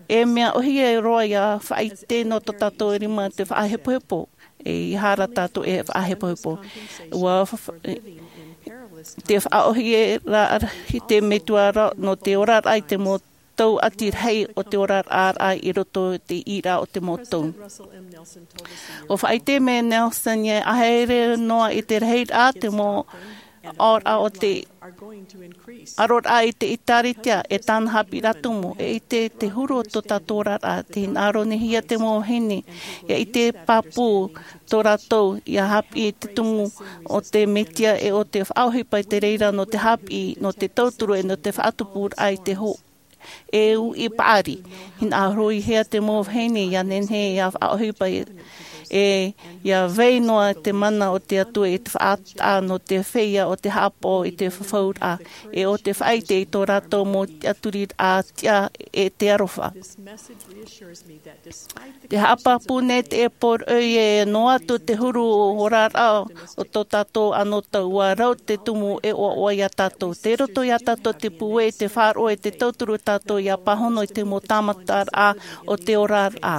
e mea ʻōhie roa ia faʻaʻite nō tō tātou rima te faʻahepohepo. E aha rā tātou e faʻahepohepo. Ua fa-, fa-, te faʻaʻōhie ra i te metua ra nō te oraraʻa i te mau tauʻati rahi o te oraraʻa i roto i te ʻīraʻa o te mau tau. ʻUa faʻaʻite mai Nelson ē, ʻaita e noa i te rahiraʻa te mau ʻaoraʻa o te ʻaroraʻa i te ʻēkālesia, e tāna haʻapiʻiraʻa tumu, e ʻite te huru o tō tātou oraraʻa, te hinaʻaro nei hia te mau vahine, ia ʻite pāpū tō rātou, ia haʻapiʻi i te tumu o te Mesia, e o te faʻaʻohipa i te reira nō te haʻapiʻi, nō te tauturu, e nō te faʻatupuraʻa i te hō-, e uʻi paʻari. Hinaʻaro hia te mau vahine ia nehenehe ia faʻaʻohipa e, e ia vai noa te mana o te Atua i te faʻataʻa nō te feiā o te haʻapaʻo i te fafauraʻa, e o te faʻaʻite i tō rātou mau tiʻaturiraʻa tiʻa e te aroha. Te haʻapāpū nei te poroʻi ē noa atu te huru o oraraʻa o tō tātou anotau, ʻua rau te tumu e ʻoaʻoa iā tātou. Tei roto iā tātou te pūai, te faʻaroʻo, e te tauturu tātou ia pāhono i te mau tāmataraʻa o te oraraʻa.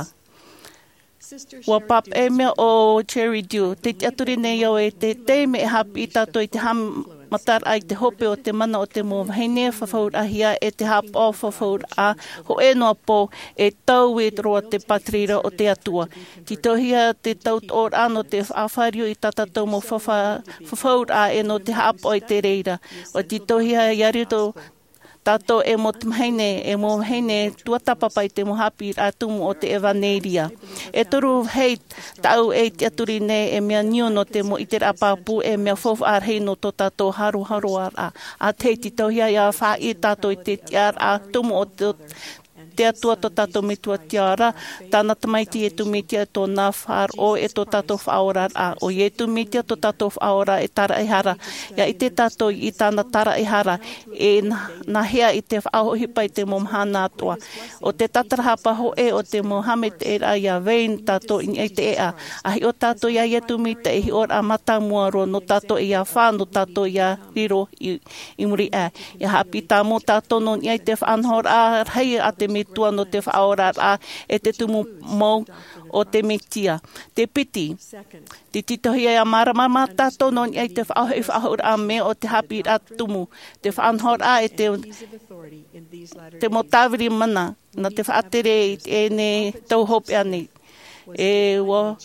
ʻUa pāpaʻi mai ʻo Jerry Dew, tē tiʻaturi nei au ē te taime e haʻapiʻi tātou i te haʻamataraʻa i te hope o te mana o te mau vahine fafauraʻahia e te haʻapaʻo fafauraʻa, hōʻē noa pō, e taui roa te pātireia o te Atua. Tītauhia te tautoʻoraʻa nō te faʻafāriu i tā tātou mau fafa-, fafauraʻa e nō te haʻapaʻo i te reira. ʻUa tītauhia ia riro Tātou e mau tamahine, e mau vahine, tuatāpapa i te mau haʻapiʻiraʻa tumu o te ʻevanelia. E toru vāhi tāʻu e tiʻaturi nei, e mea niu nō te mau ʻiteraʻa pāpū, e mea faufaʻa rahi nō tō tātou haroharoaraʻa. ʻA tahi, tītauhia ʻia faʻaʻī tātou i te tiʻaraʻa tumu o te, te Atua tō tātou Metua Tiʻa ra, tāna Tamaiti Iesu Mesia, tōna faʻaroʻo, e tō tātou Faʻaoraraʻa. ʻO Iesu Mesia tō tātou Faʻaora e tāraʻehara. ʻIa ʻite tātou i tāna tāraʻehara, e nā, nā hea i te faʻaʻohipa i te mau mahana atoʻa. ʻO te tatarahapa hōʻē o te mau haʻamaitaʻiraʻa ʻia vai tātou i niʻa i te ʻēʻa. ʻA hiʻo tātou iā Iesu Mesia ei hiʻoraʻa mātāmua roa nō tātou ʻia fā, nō tātou ʻia riro i, i muri aʻe. ʻIa haʻapiʻi tāmau tātou nō niʻa i te faʻanahoraʻa rahi a te Metua nō te Faʻaoraraʻa, e te tumu mau o te Mesia. Te piti, te tītauhia ʻia māramarama tātou nō niʻa i te faʻahoʻi faʻahou raʻa mai o te haʻapiʻiraʻa tumu, te faʻanahoraʻa e te, te mau tāviri mana, nā te faʻatere i teie nei tau hopeʻa nei. E ua,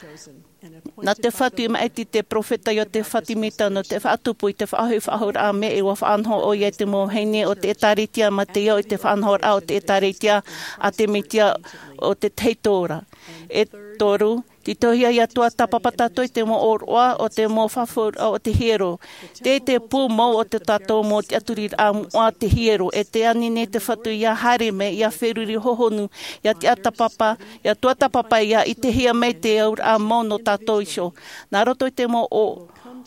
nā te Fatu i maʻiti te peropheta Iosefa Sāmita nō te faʻatupu i te faʻahoʻi faʻahou raʻa mai, e ua faʻanaho ʻoia i te mau vahine o te ʻĒtārētia, mā te ʻite i te faʻanahoraʻa o te ʻĒtārētia a te Mesia o te tahi ora. E toru, tītauhia ʻia tuatāpapa tātou i te mau ʻōroʻa o te mau fafauraʻa o te hiero. Tē, te pū mau o tō tātou mau tiʻaturiraʻa moʻa te hiero, e tē ani nei te Fatu ʻia haere mai, ʻia feruri hohonu, ʻia tiʻatāpapa, ʻia tuatāpapa, ʻia ʻitehia mai te auraʻa mau nō tātou iho. Nā roto i te mau ʻō,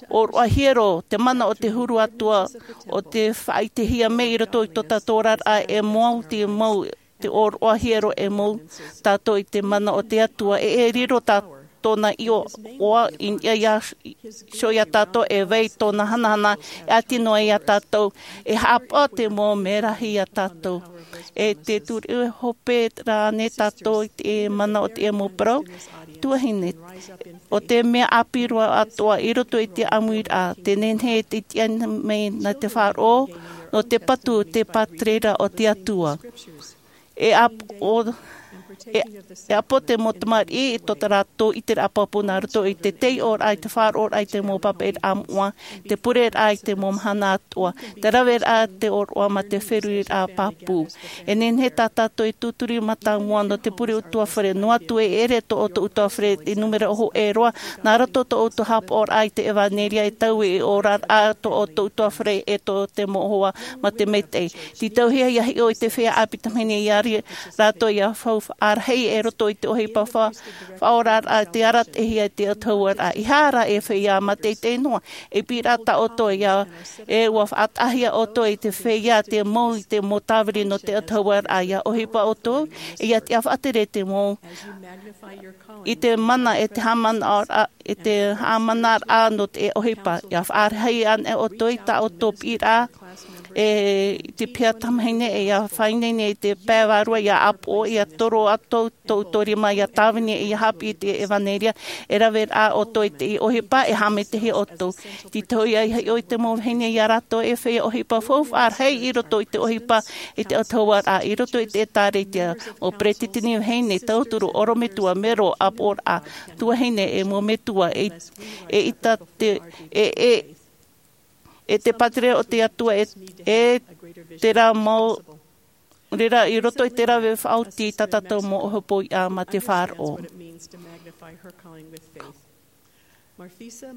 ʻōroʻa hiero, te mana o te huru atoʻa, ʻo tē faʻaʻitehia mai i roto i tō tātou oraraʻa, e mau te mau te ʻōroʻa hiero e mau tātou i te mana o te Atua, e, e riro tā tōna iʻoa i niʻa iho iā tātou, e vai tōna hanahana, e ʻati noa iā tātou, e haʻapaʻo te mau merahi iā tātou. E te turu e hope rānei tātou i te mana o te mau parau, tuahine, ʻo te mea ʻāpī roa atoʻa i roto i te ʻāmuiraʻa, tē nehenehe e te tiʻa mai nā te faʻaroʻo, nō te patu te pātereraʻa o te Atua. E ʻāp-, ʻo, e, e ʻāpō te mau tamariʻi i tō rātou ʻiteraʻa pāpū nā roto i te taiʻoraʻa, i te faʻaroʻoraʻa i te mau pāpaʻiraʻa moʻa, te pureraʻa i te mau mahana atoʻa, te raveraʻa, te ʻōroʻa mā te feruriraʻa pāpū. E nehenehe tā tātou e tūturi mātāmua nō te pure ʻutuāfare, noa atu e ʻere tō ʻoutou ʻutuāfare i nūmera hōʻē roa, nā roto tō ʻoutou haʻapaʻoraʻa i te ʻevanelia, e taui i te oraraʻa tō ʻoutou ʻutuāfare e tō te mau hoa mā te maitaʻi. Tītauhia ʻia hiʻo i te feiā ʻāpī tamahine iā ri-, rātou ʻia faufaʻa rahi e roto i te ʻohipa fa-, faʻaoraraʻa, te arataʻihia i te autahuʻaraʻa. ʻEiaha e feiā mātaʻitaʻi noa, e piʻiraʻa tā ʻoutou ʻia, e ʻua faʻataʻahia ʻoutou i te feiā, te mau, i te mau tāviri nō te autahuʻaraʻa. ʻIa ʻohipa ʻoutou, e ʻia tiʻa faʻatere te mau, i te mana, e te haʻamanaʻoraʻa, e te haʻamanaraʻa nō te ʻohipa. ʻIa faʻarahi ana ʻoutou i tā ʻoutou piʻiraʻa, e te piha tamahine, e ʻia faʻaineine i te pae vārua, ʻia ʻāpoʻo, ʻia toro atu tō ʻoutou rima, ʻia tāvini, ʻia haʻapiʻi i te ʻevanelia, e rave rā ʻoutou i te ʻohipa, e haʻamaitaʻihia ʻoutou. Tītauhia ʻia hiʻo i te mau vahine iā rātou e feiā ʻohipa faufaʻa rahi i roto i te ʻohipa i te autahuʻaraʻa, i roto i te ʻĒtārētia, mau peresideni vahine, tauturu, ʻorometua, mero, ʻāpoʻoraʻa, tuahine, e mau metua, e, e ʻita te, e, e, e te pātere o te Atua, e, e terā mau, reira i roto i te rave faʻaoti tā tātou mau ʻohipa mā te faʻaroʻo. Marfisa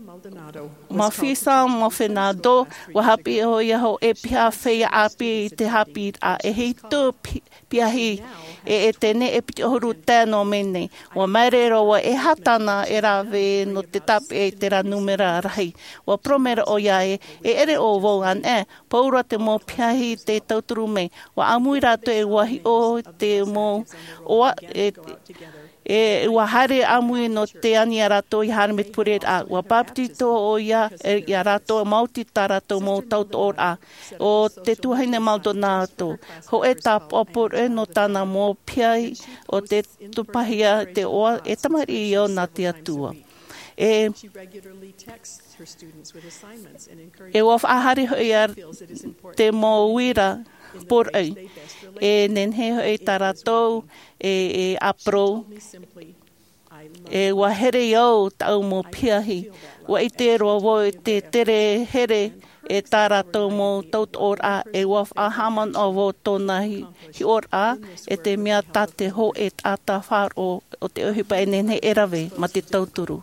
Maldonado, ʻua haʻapiʻi ʻoia hōʻē piha feiā ʻāpī i te haʻapiʻiraʻa, e hitu pi-, piahi, e, e teie nei e piti ʻahuru tae noa mai nei. ʻUa māere roa, ʻeiaha tāna e rave nō te tāpeʻa i terā nūmera rahi. ʻUa parau mai ra ʻoia ē, e ʻere ʻo vau anaʻe, pauroa te mau piahi tē tauturu mai. ʻUa ʻāmui rātou e ʻua hiʻo te mau ʻoaʻoa, e, e ʻua haere ʻāmui nō te ani iā rātou ʻia haere mai te pureraʻa. ʻUa bāpetizo ʻoia, e, iā rātou, maoti tā rātou mau tautooraʻa. ʻO te tuahine Maldonado, hōʻē tāpaʻo poroʻi nō tāna mau piahi ʻo tē tupahia te ʻoaʻoa, e tamariʻi ïa nā te Atua. E, e ʻua faʻahaere hoʻi ia te mau uira poroʻi. E nehenehe hoʻi tā rātou e, e ʻāparau. E ua here au taʻu mau piahi. Ua ʻite roa vau i te tere here e tā rātou mau tautoʻoraʻa, e ua faʻahaʻamanaʻo vau tōna hi-, hiʻoraʻa, e te mea tā te hōʻē taʻata faʻaroʻo o te ʻohipa e nehenehe e rave ma te tauturu.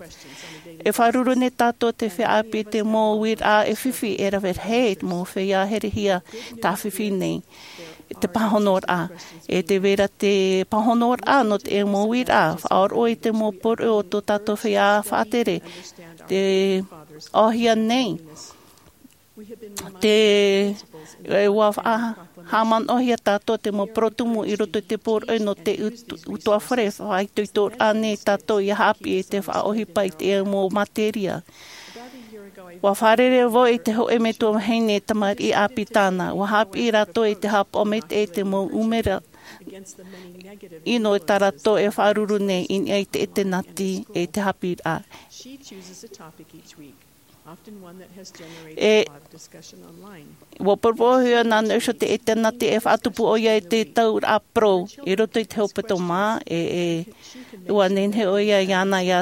E faʻaruru nei tātou te feiā ʻāpī i te mau uiraʻa e fifi e rave rahi, te mau feiā herehia tāfifi nei. E te pāhonoraʻa, e te vera te pāhonoraʻa nō te mau uiraʻa, faʻaroʻo i te mau poroʻi o tō tātou feiā faʻatere, te ʻohia nei, te, e ua faʻa-, haʻamanaʻohia tātou te mau porotumu i roto i te poroʻi nō te ut-, utuafare, faʻaitoitoraʻa nei tātou ʻia haʻapiʻi i te faʻaʻohipa i te mau materia. Ua fārerei vau i te hōʻē metua vahine tamariʻi ʻāpī tāna. Ua haʻapiʻi rātou i te haʻapaʻo maitaʻi i te mau ʻumera ʻino tā rātou e faʻaruru nei i niʻa i te ʻetenati e te haʻapiʻiraʻa. She chooses a topic each week, often one that has generated E a lot of discussion online. Ua poroporohia nā niʻa iho te ʻetenati e faʻatupu ʻoia i te tauraʻa parau i roto i te hepetoma, e, e ua nehenehe ʻoia iāna ʻia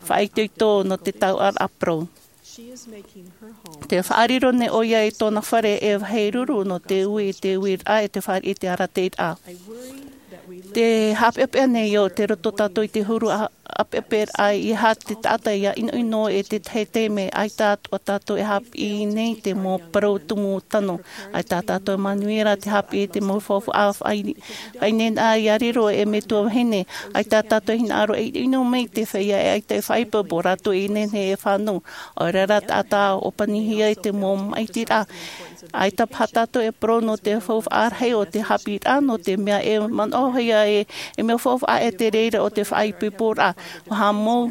faʻaitoito nō te tauraʻa parau. She is making her home. Te faʻariro nei ʻoia i tōna fare e vāhi ruru nō te ui i te uiraʻa e te fāriʻi i te arataʻiraʻa. I worry that we Te live haʻapeʻapeʻa nei au, tē roto tātou i te huru a-, ʻāpeʻapeʻaraʻa, ʻeiaha te taʻata ʻia ʻinoʻino i te tahi taime, ʻaita atoʻa tātou e haʻapiʻi nei te mau parau tumu tano. ʻAita tātou e manuia ra te haʻapiʻi i te mau faufaʻa faʻai-, faʻaineine ʻia riro ei metua vahine. ʻAita tātou e hinaʻaro e ʻinoʻino mai te feiā e ʻaita e faʻaipoipo, rātou e nehenehe e fānau. ʻAore rā taʻata ʻōpanihia i te mau maʻitiraʻa. ʻAita paha tātou e parau nō te faufaʻa rahi o te haʻapiʻiraʻa, nō te mea e manaʻohia e, e mea faufaʻa e te reira o te faʻaipoiporaʻa. ʻUa haʻamou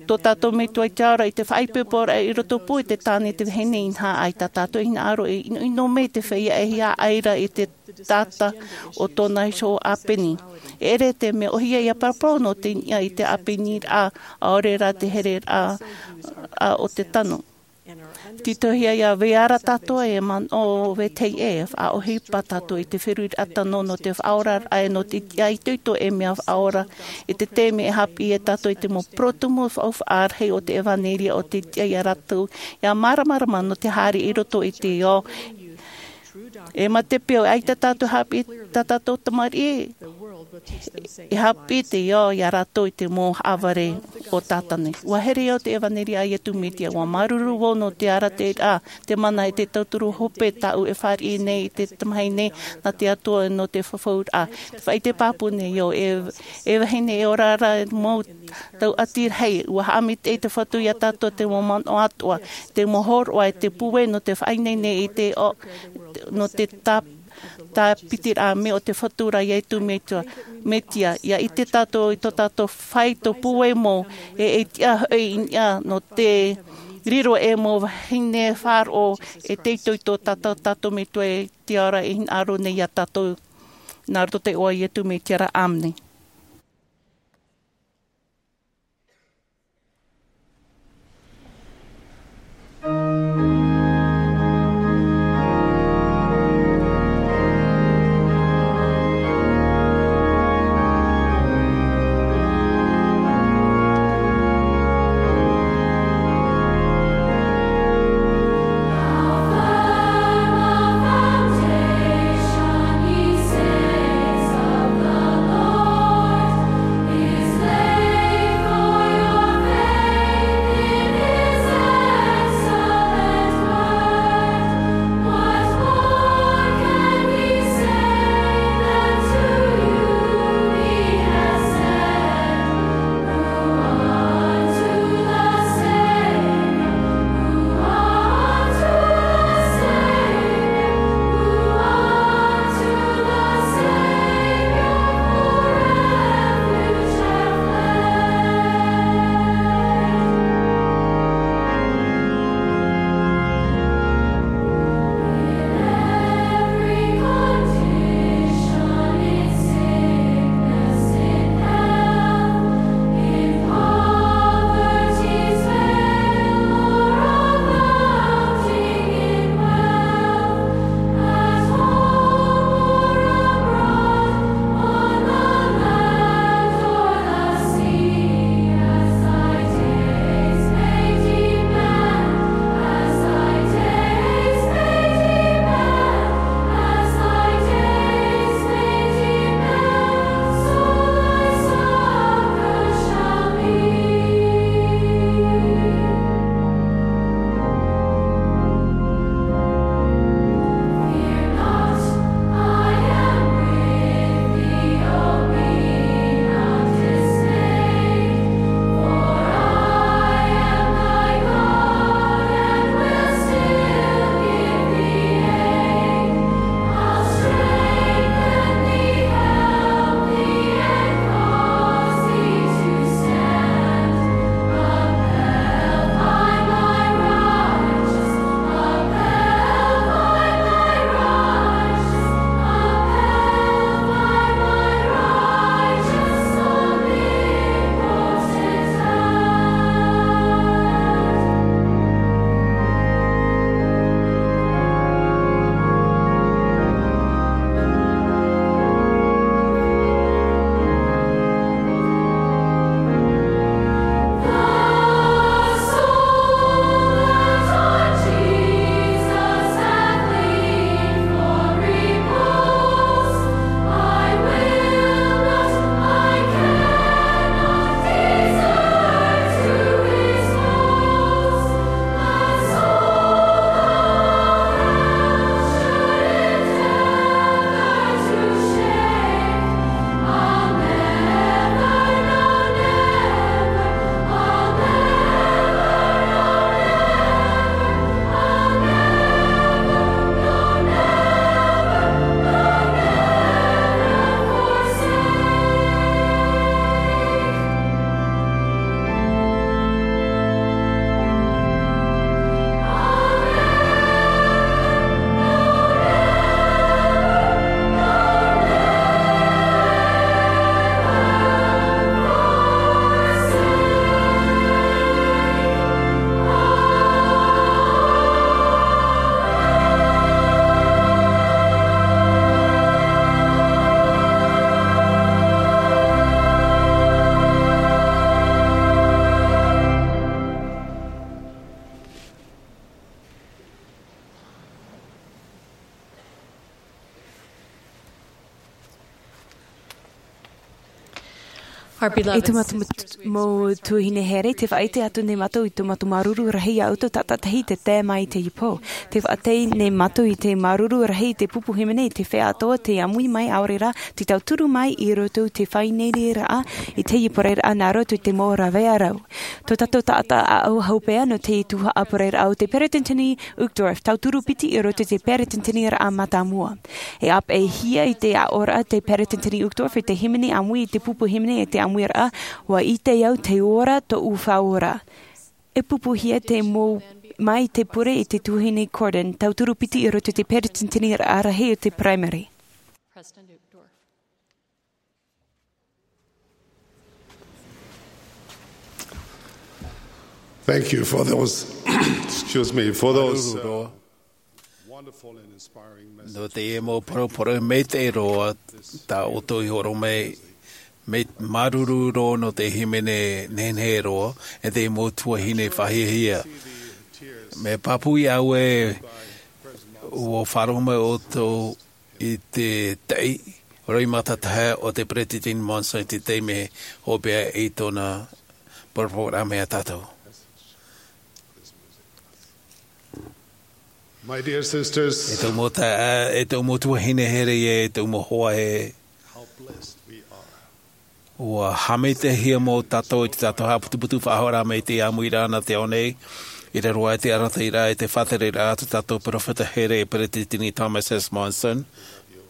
tō tātou metua i te ao ra i te faʻaipoiporaʻa i roto pū i te tāne, te vahine, inaha ʻaita tātou e hinaʻaro e ʻinoʻino mai te feiā e hiaʻai ra i te taʻata o tōna iho ʻāpeni. E ʻere te mea ʻōhie ʻia paraparau nō te niʻa i te ʻāpeniraʻa, ʻaore rā te hereraʻa, a, o te tano. Tītauhia ʻia vai ra tātou e manaʻo vetahi ʻē, faʻaʻohipa tātou i te feruriraʻa tano nō te faʻaoraraʻa e nō te tiʻaitoito ei mea faʻaora i te taime e haʻapiʻi ai tātou i te mau parau tumu faufaʻa rahi o te ʻevanelia o te tiʻa ia rātou ʻia māramarama nō te haere i roto i te ao. E mate pea ʻaita tātou haʻapiʻi i tā tātou tamariʻi, e haʻapiʻi te ao ia rātou i te mau haʻavare o Tātana. ʻUa here au te ʻevanelia a Iesu Mesia, ʻua māuruuru vau nō te arataʻiraʻa, te mana e te tauturu hope tāʻu e fāriʻi nei i te tamahine nā te Atua nō te fafauraʻa. Te faʻaʻite pāpū nei au, e, e vahine, e ora ra mau tauʻati rahi, ʻua haʻamaitaʻi te Fatu ia tātou te mau manaʻo atoʻa, te mau hōroʻa, e te pūai nō te faʻaineine i te ao, nō te tā, tāpitiraʻa mai o te Fatu ra Iesu Mesia, Mesia, ʻia ʻite tātou i tō tātou faito pūai mau, e, e tiʻa hoʻi i niʻa nō te riro ei mau vahine faʻaroʻo, e te itoito tā tā tātou Metua i te ao ra e hinaʻaro nei ia tātou, nā roto i te iʻoa o Iesu Mesia ra. ʻĀmene. E tō mātou mau tuahine here, tē faʻaʻite atu nei mātou i tō mātou māuruuru rahi iā ʻoutou tātaʻitahi tē tae mai i teie pō. Tē faʻaʻite nei mātou i te māuruuru rahi i te pupu hīmene i te feiā atoʻa tē ʻāmui mai, ʻaore rā, tē tauturu mai i roto i te faʻaineineraʻa i teie pō ra nā roto i te mau rāveʻa rau. Tō tātou taʻata ʻāʻau hopeʻa nō te tuhaʻa pō ra o te Peretiteni Uchtdorf, tauturu piti i roto i te Peretiteniraʻa mātāmua. E ʻāpeʻehia i te aʻoraʻa te Peretiteni Uchtdorf i te hīmene ʻāmui, i te pupu hīmene i te ʻāmuiraʻa, ʻua ʻite au tē ora tōʻu faʻaora. E pupuhia te mau mai te pure i te tuahine Cordon, tauturu piti i roto i te Peretiteniraʻa rahi o te Primary. Thank you for those, excuse me, for those, uh, wonderful and inspiring messages. Nō teie mau poroporo maitaʻi roa tā ʻoutou i hōroʻa mai, mea māuruuru roa nō te hīmene nehenehe roa, e te mau tuahine faʻahiahia. Mea pāpū iā ʻoe, ʻua faʻaroʻo mai ʻoutou i te taʻi roimata tahe o te Peretiteni Monson i te taime hopeʻa i tōna poroporoʻa mai iā tātou. My dear sisters, e tōʻu mau taeaʻe, e tōʻu mau tuahine here, e tōʻu mau hoa here, how blessed we are. ʻUa haʻamaitaʻihia mau tātou i te tātou haʻaputuputu faʻahoʻiraʻa mai te ʻāmuiraʻa nā te ao nei, i raro aʻe i te arataʻiraʻa, i te faʻatereraʻa a tō tātou peropheta here, Peretiteni Thomas S. Monson.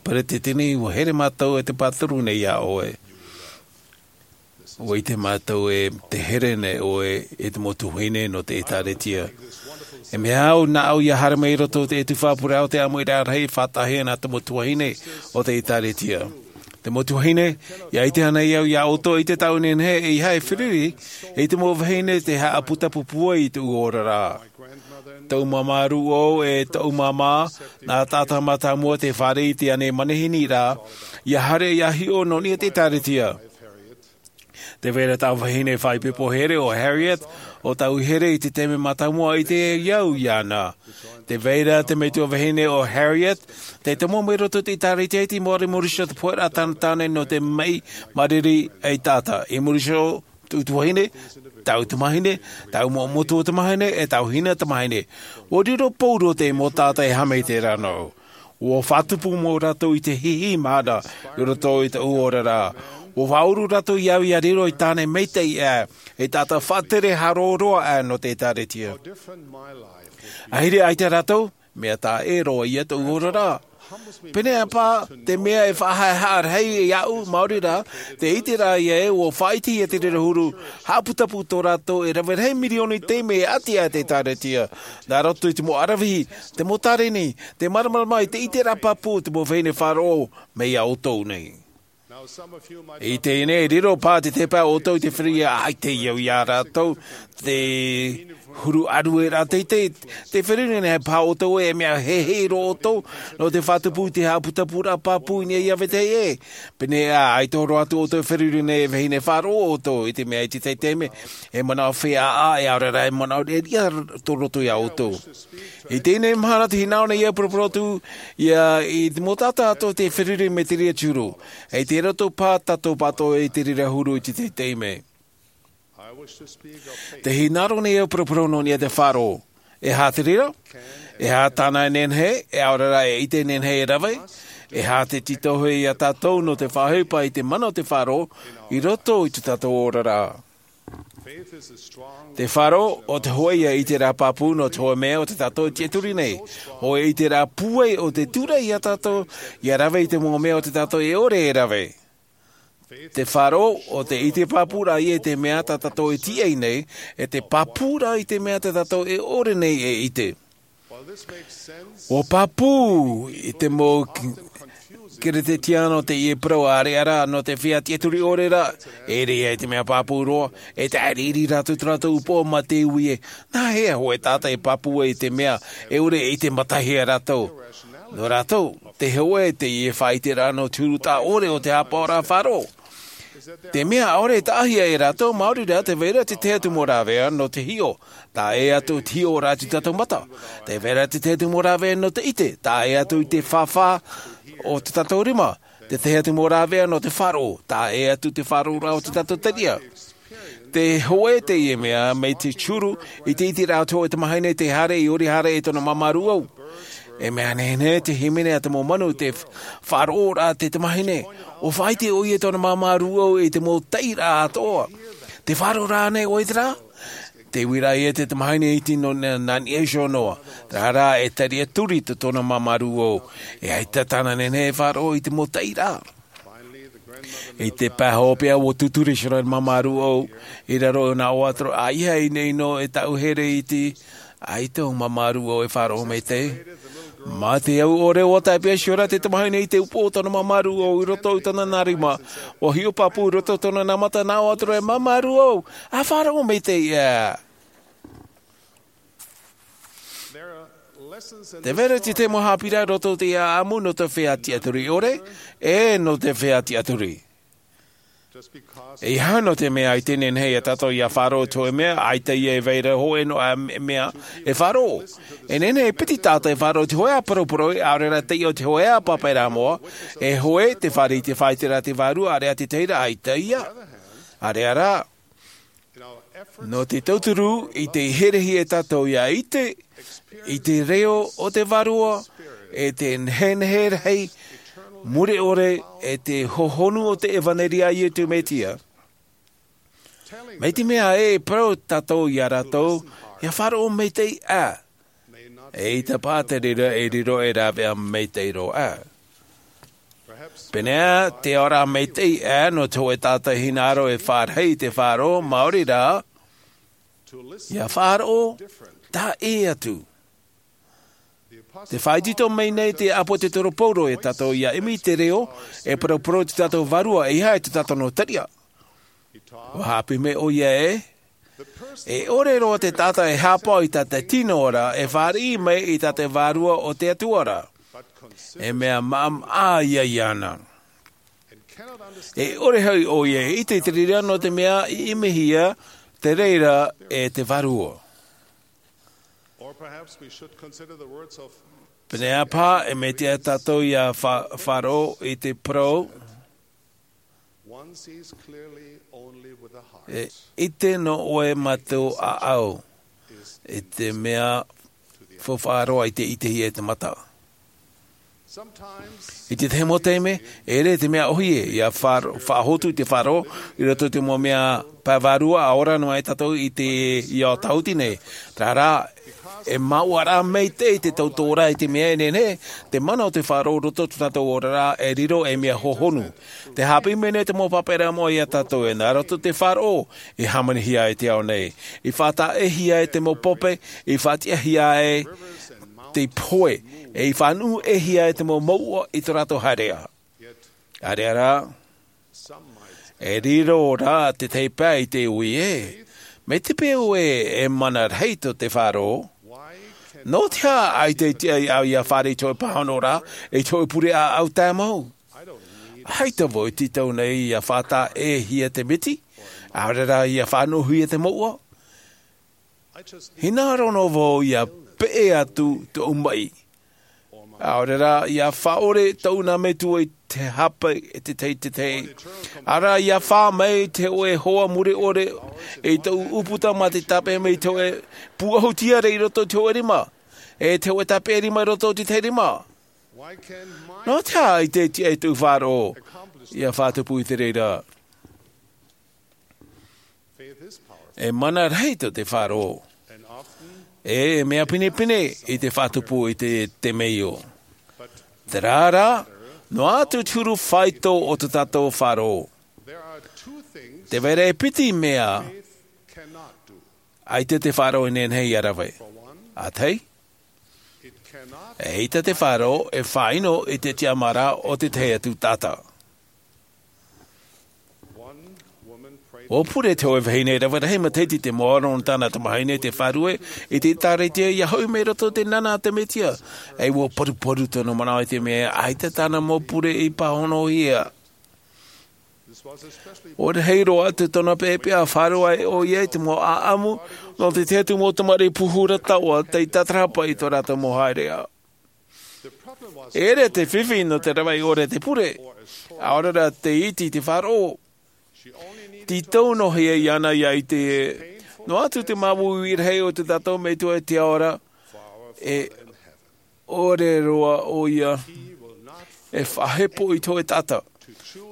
Peretiteni, ʻua here mātou e te pāturu nei iā ʻoe. ʻUa ʻite mātou e te here nei ʻoe i te mau tuahine nō te ʻĒtārētia. E mea au, nā ʻu ʻia haere mai i roto i te tuhaʻa pure o te ʻāmuiraʻa rahi, faʻataʻahia nā te mau tuahine o te ʻĒtārētia. Te mau tuahine, ʻia ʻite anaʻe au iā ʻoutou i te taʻu nehenehe, ʻeiaha e feruri i te mau vahine tē haʻaputapū ai i tōʻu oraraʻa. Tōʻu māmā rūʻau e tōʻu māmā, nā taʻata mātāmua tē fāriʻi i teie nei manihini ra, ʻia haere ʻia hiʻo nō niʻa i te ʻĒtārētia. Tē vai ra tāʻu vahine faʻaipoipo here ʻo Harriet, ʻo tāʻu here i te taime mātāmua i ʻite au iāna. Tē vai ra te metua vahine ʻo Harriet, tē tomo mai i roto i te ʻĒtārētia i te Māori Mauritia, te pohe ra tāna tāne nō te maʻi mariri ei taʻata. I muri iho, tōʻu tuahine, tāʻu tamahine, tāʻu mau metua tamahine, e tāʻu hina tamahine. ʻUa riro pauroa te mau taʻata e haʻamaitaʻi ra nō ʻoe. ʻUa faʻatupu mau rātou i te hihi mahana i roto i tōʻu oraraʻa. ʻUa faʻauru rātou iā au ʻia riro ei tāne maitaʻi aʻe, ei taʻata faʻatere haʻaroa roa aʻe nō te ʻĒtārētia. ʻAhiri aita rātou, mea taʻa ʻē roa ia tōʻu oraraʻa. Pēneiaʻe paha te mea e faʻahaʻehaʻa rahi iāʻu, maori rā, te ʻiteraʻa ia ē, ʻua faʻaʻitehia te reira huru, haʻaputapū tō rātou e rave rahi mirioni taime e ʻati aʻe te ʻĒtārētia. Nā roto i te mau aravihi, te mau tāreni, te māramarama i te ʻiteraʻa pāpū o te mau vahine faʻaroʻo mai iā ʻoutou nei. I teie nei, e riro paha te tahi paha iā ʻoutou i te feruri, ʻaita e au iā rātou, te huru ʻārueraʻa teitei, tē feruri nei paha ʻoutou ē, mea heheʻe roa ʻoutou nō te faʻatupu i te haʻaputapūraʻa pāpū i niʻa iā vetahi ʻē. Pēneiaʻe, ʻaita e horo atu ʻoutou e feruri nei e vahine faʻaroʻo ʻoutou, i te mea i te tahi taime, e manaʻo feiā ā, e ʻaore rā e manaʻo riʻariʻa tō roto iā ʻoutou. I teie nei mahana tē hinaʻaro nei au e poroporo atu ia i te mau taʻata atoʻa tē feruri mai te reira huru. E tei roto paha tātou pāʻatoʻa i te reira huru i te tahi taime. Tē hinaʻaro nei au e poroporo nō niʻa i te faʻaroʻo. E aha te reira? E aha tāna e nehenehe, e ʻaore rā e ʻite nehenehe e rave? E aha te tītauhia iā tātou nō te faʻaʻohipa i te mana o te faʻaroʻo i roto i tō tātou oraraʻa? Te faʻaroʻo, ʻo te hōʻē ia ʻiteraʻa pāpū nō te hōʻē mea o tā tātou e tiʻaturi nei. Hōʻē ʻiteraʻa pūai ʻo tē tūraʻi iā tātou ʻia rave i te mau mea o tā tātou e ʻore e rave. Te faʻaroʻo, ʻo te ʻite pāpūraʻa ia i te mea tā tātou e tīaʻi nei, e te pāpūraʻa i te mea tā tātou e ʻore nei e ʻite. ʻUa pāpū i te mau K-, Keretetiano teie parau, ʻaore rā, nō te feiā tiʻaturi ʻore ra, e ʻere ia i te mea pāpū roa, e tāʻiriʻiri rātou i tō rātou upoʻo mā te ui ē, nā hea hōʻē taʻata e pāpū ai i te mea e ʻore e ʻite matahiti iā rātou. Nō rātou, te hōʻē teie faʻaʻiteraʻa nō te huru taʻa ʻore o te haʻapaʻoraʻa faʻaroʻo. Te mea ʻaore e taʻahia e rātou, maori rā, tē vai ra te tahi atu mau rāveʻa nō te hiʻo. Taʻa ʻē atu te hiʻoraʻa i tō tātou mata. Tē vai ra te tahi atu mau rāveʻa nō te ʻite. Taʻa ʻē atu i te fāfā o tō tātou rima. Te tahi atu mau rāveʻa nō te faʻaroʻo, tā ʻē atu te faʻaroʻoraʻa o te tātou taʻata. Te hōʻē teie mea, mai te huru, i te ʻiteraʻa o te hōʻē tamahine tē haere i ʻō haere i tōna māmā rūʻau. E mea nehenehe te hīmene a te mau manu, te faʻaroʻoraʻa te tamahine, ʻua faʻaʻite ʻoia i tōna māmā rūʻau i te mau taʻiraʻa atoʻa. Tē faʻaroʻo ra ānei ʻoe i terā? Tē ui ra ïa te tamahine iti nō nā, nā niʻa iho noa. Terā rā, e tariʻa turi tō tōna māmā rūʻau. E ʻaita tāna nehenehe e faʻaroʻo i te mau taʻiraʻa. I te pae hopeʻa, ʻua tūturi iho ra te māmā rūʻau i raro i ʻōna ʻoaʻoa, ʻa ʻeiaha e ʻinoʻino e taʻu here iti, ʻaita ʻo māmā rūʻau e faʻaroʻo maitaʻi. Mā te au ʻore, ʻua tāpeʻa iho ra te tamahine i te upoʻo o tōna māmā rūʻau i roto i tōna nā rima. ʻUa hiʻo pāpū i roto i tōna nā mata, nā ʻō atu ra, e māmā rūʻau, ʻa faʻaroʻo maitaʻi ā. Tē vai ra te tahi mau haʻapiʻiraʻa i roto i te ʻāʻamu nō te feiā tiʻaturi ʻore, ʻe nō te feiā tiʻaturi. ʻEiaha nō te mea ʻaita e nehenehe ia tātou ʻia faʻaroʻo i te hōʻē mea, ʻaita ïa e vai ra hōʻē noa ā mea e faʻaroʻo. E nehenehe e piti taʻata e faʻaroʻo i te hōʻē ā parauparau, ʻaore rā taiʻo i te hōʻē ā pāpaʻiraʻa moʻa, e hōʻē tē fāriʻi i te faʻaʻiteraʻa a te vārua, ʻāreʻa te tahi ra, ʻaita ïa. ʻĀreʻa rā. Nō te tauturu i te herehia e tātou ʻia ʻite i te reo o te Vārua, e te nehenehe rahi mure ʻore, e te hohonu o te ʻevaneria a Iesu Mesia. Mai te mea ē e parau tātou ia rātou, ʻia faʻaroʻo maitaʻi ā, ʻeita paʻi te reira e riro ei rāveʻa maitaʻi roa ā. Pēneiaʻe, te ao ra maitaʻi ā nō te hōʻē taʻata hinaʻaro e fārahi i te faʻaroʻo, maori rā, ʻia faʻaroʻo taʻa ʻē atu. Tē faʻaitoito mai nei te ʻāpōsetolo Paulo ia tātou ʻia ʻimi i te reo, e parauparau i tō tātou Vārua, ʻeiaha i tō tātou noa tariʻa. ʻUa haʻapiʻi mai ʻoia ē, e ʻore roa te taʻata e haʻapaʻo i tā te tino ra e fāriʻi mai i tā te Vārua o te Atua ra, e mea maʻamaʻa ïa iāna. E ʻore hoʻi ʻoia e ʻite i te reira, nō te mea i ʻimihia te reira e te Vārua. Pēneiaʻe paʻi, e mea tiʻa tātou ʻia fa-, faʻaroʻo i te parau, e ʻite noa ʻoe mā te ʻāʻau, i te mea faufaʻa roa i te ʻitehia e te mata. I te tahi mau taime, e ʻere te mea ʻōhie ʻia fa-, faʻahotu i te faʻaroʻo i roto i te mau mea pae vārua, ʻa ora noa ai tātou i te, i ao tāhuti nei. Terā rā, e māuʻa rā maitaʻi te tautooraʻa i te mea e nehenehe te mana o te faʻaroʻo i roto i tō tātou oraraʻa e riro ei mea hohonu. Tē haʻapiʻi mai nei te mau pāpaʻiraʻa moʻa ia tātou ē, nā roto i te faʻaroʻo i hāmanihia ai te ao nei, i faʻataʻehia ai te mau pape, i faʻatiʻahia ai te pohe, e i faʻanuʻuhia ai te mau mouʻa i tō rātou haereʻa. ʻĀreʻa rā, e riro rā te tahi pae i te ui ē, mai te peu ē e mana rahi tō te faʻaroʻo, nō te aha ʻaita e tiʻa iāʻu ʻia fāriʻi i te hōʻē pāhonoraʻa, i te hōʻē pure ʻāʻau tāmau? ʻAita vau e tītau nei ʻia faʻataʻehia te miti, ʻaore rā ʻia faʻanuʻuhia te mouʻa. Hinaʻaro noa vau ʻia peʻe atu tōʻu maʻi, ʻaore rā ʻia faʻaʻore tōʻu nā metua i te hapa e te tahi, te tahi. ʻAore rā ʻia fā mai te hōʻē hoa mure ʻore i tōʻu ʻūputa mā te tāpeʻa mai i te hōʻē pūʻohu tiare i roto i te hōʻē rima, e te hōʻē tāpeʻa rima i roto i te tahi rima. Nō te aha ʻaita e tiʻa ai tōʻu faʻaroʻo ʻia faʻatupu i te reira? E mana rahi tō te faʻaroʻo. E, e mea pinepine i te faʻatupu i te, te temeio. Terā rā, noa atu te huru faito o tō tātou faʻaroʻo. Tē vai ra e piti mea ʻaita te faʻaroʻo e nehenehe ʻia rave. ʻA tahi, ʻeita te faʻaroʻo e faʻaʻino i te tiʻamāraʻa o te tahi atu taʻata. ʻUa pure te hōʻē vahine rave rahi matahiti i te mau aro nō tāna tamahine tei faʻarue i te ʻĒtārētia ʻia hoʻi mai i roto i te nana a te Mesia. E ʻua paruparu tōna manaʻo i te mea ʻaita tāna mau pure i pāhonohia. ʻUa rahi roa atu tōna peʻapeʻa, faʻaroʻo ai ʻoia i te mau ʻāʻamu nō te tahi atu mau tamariʻi pūhura taoʻa tei tātarahapa i tō rātou mau haereʻa. E ʻere te fifi nō te rave ʻore te pure, ʻaore rā te iti te faʻaroʻo. Tītau noa hia iāna ia ʻite ē, noa atu te māuiui rahi o tō tātou Metua i te ao ra, e ʻore roa ʻoia e faʻahepo i te hōʻē taʻata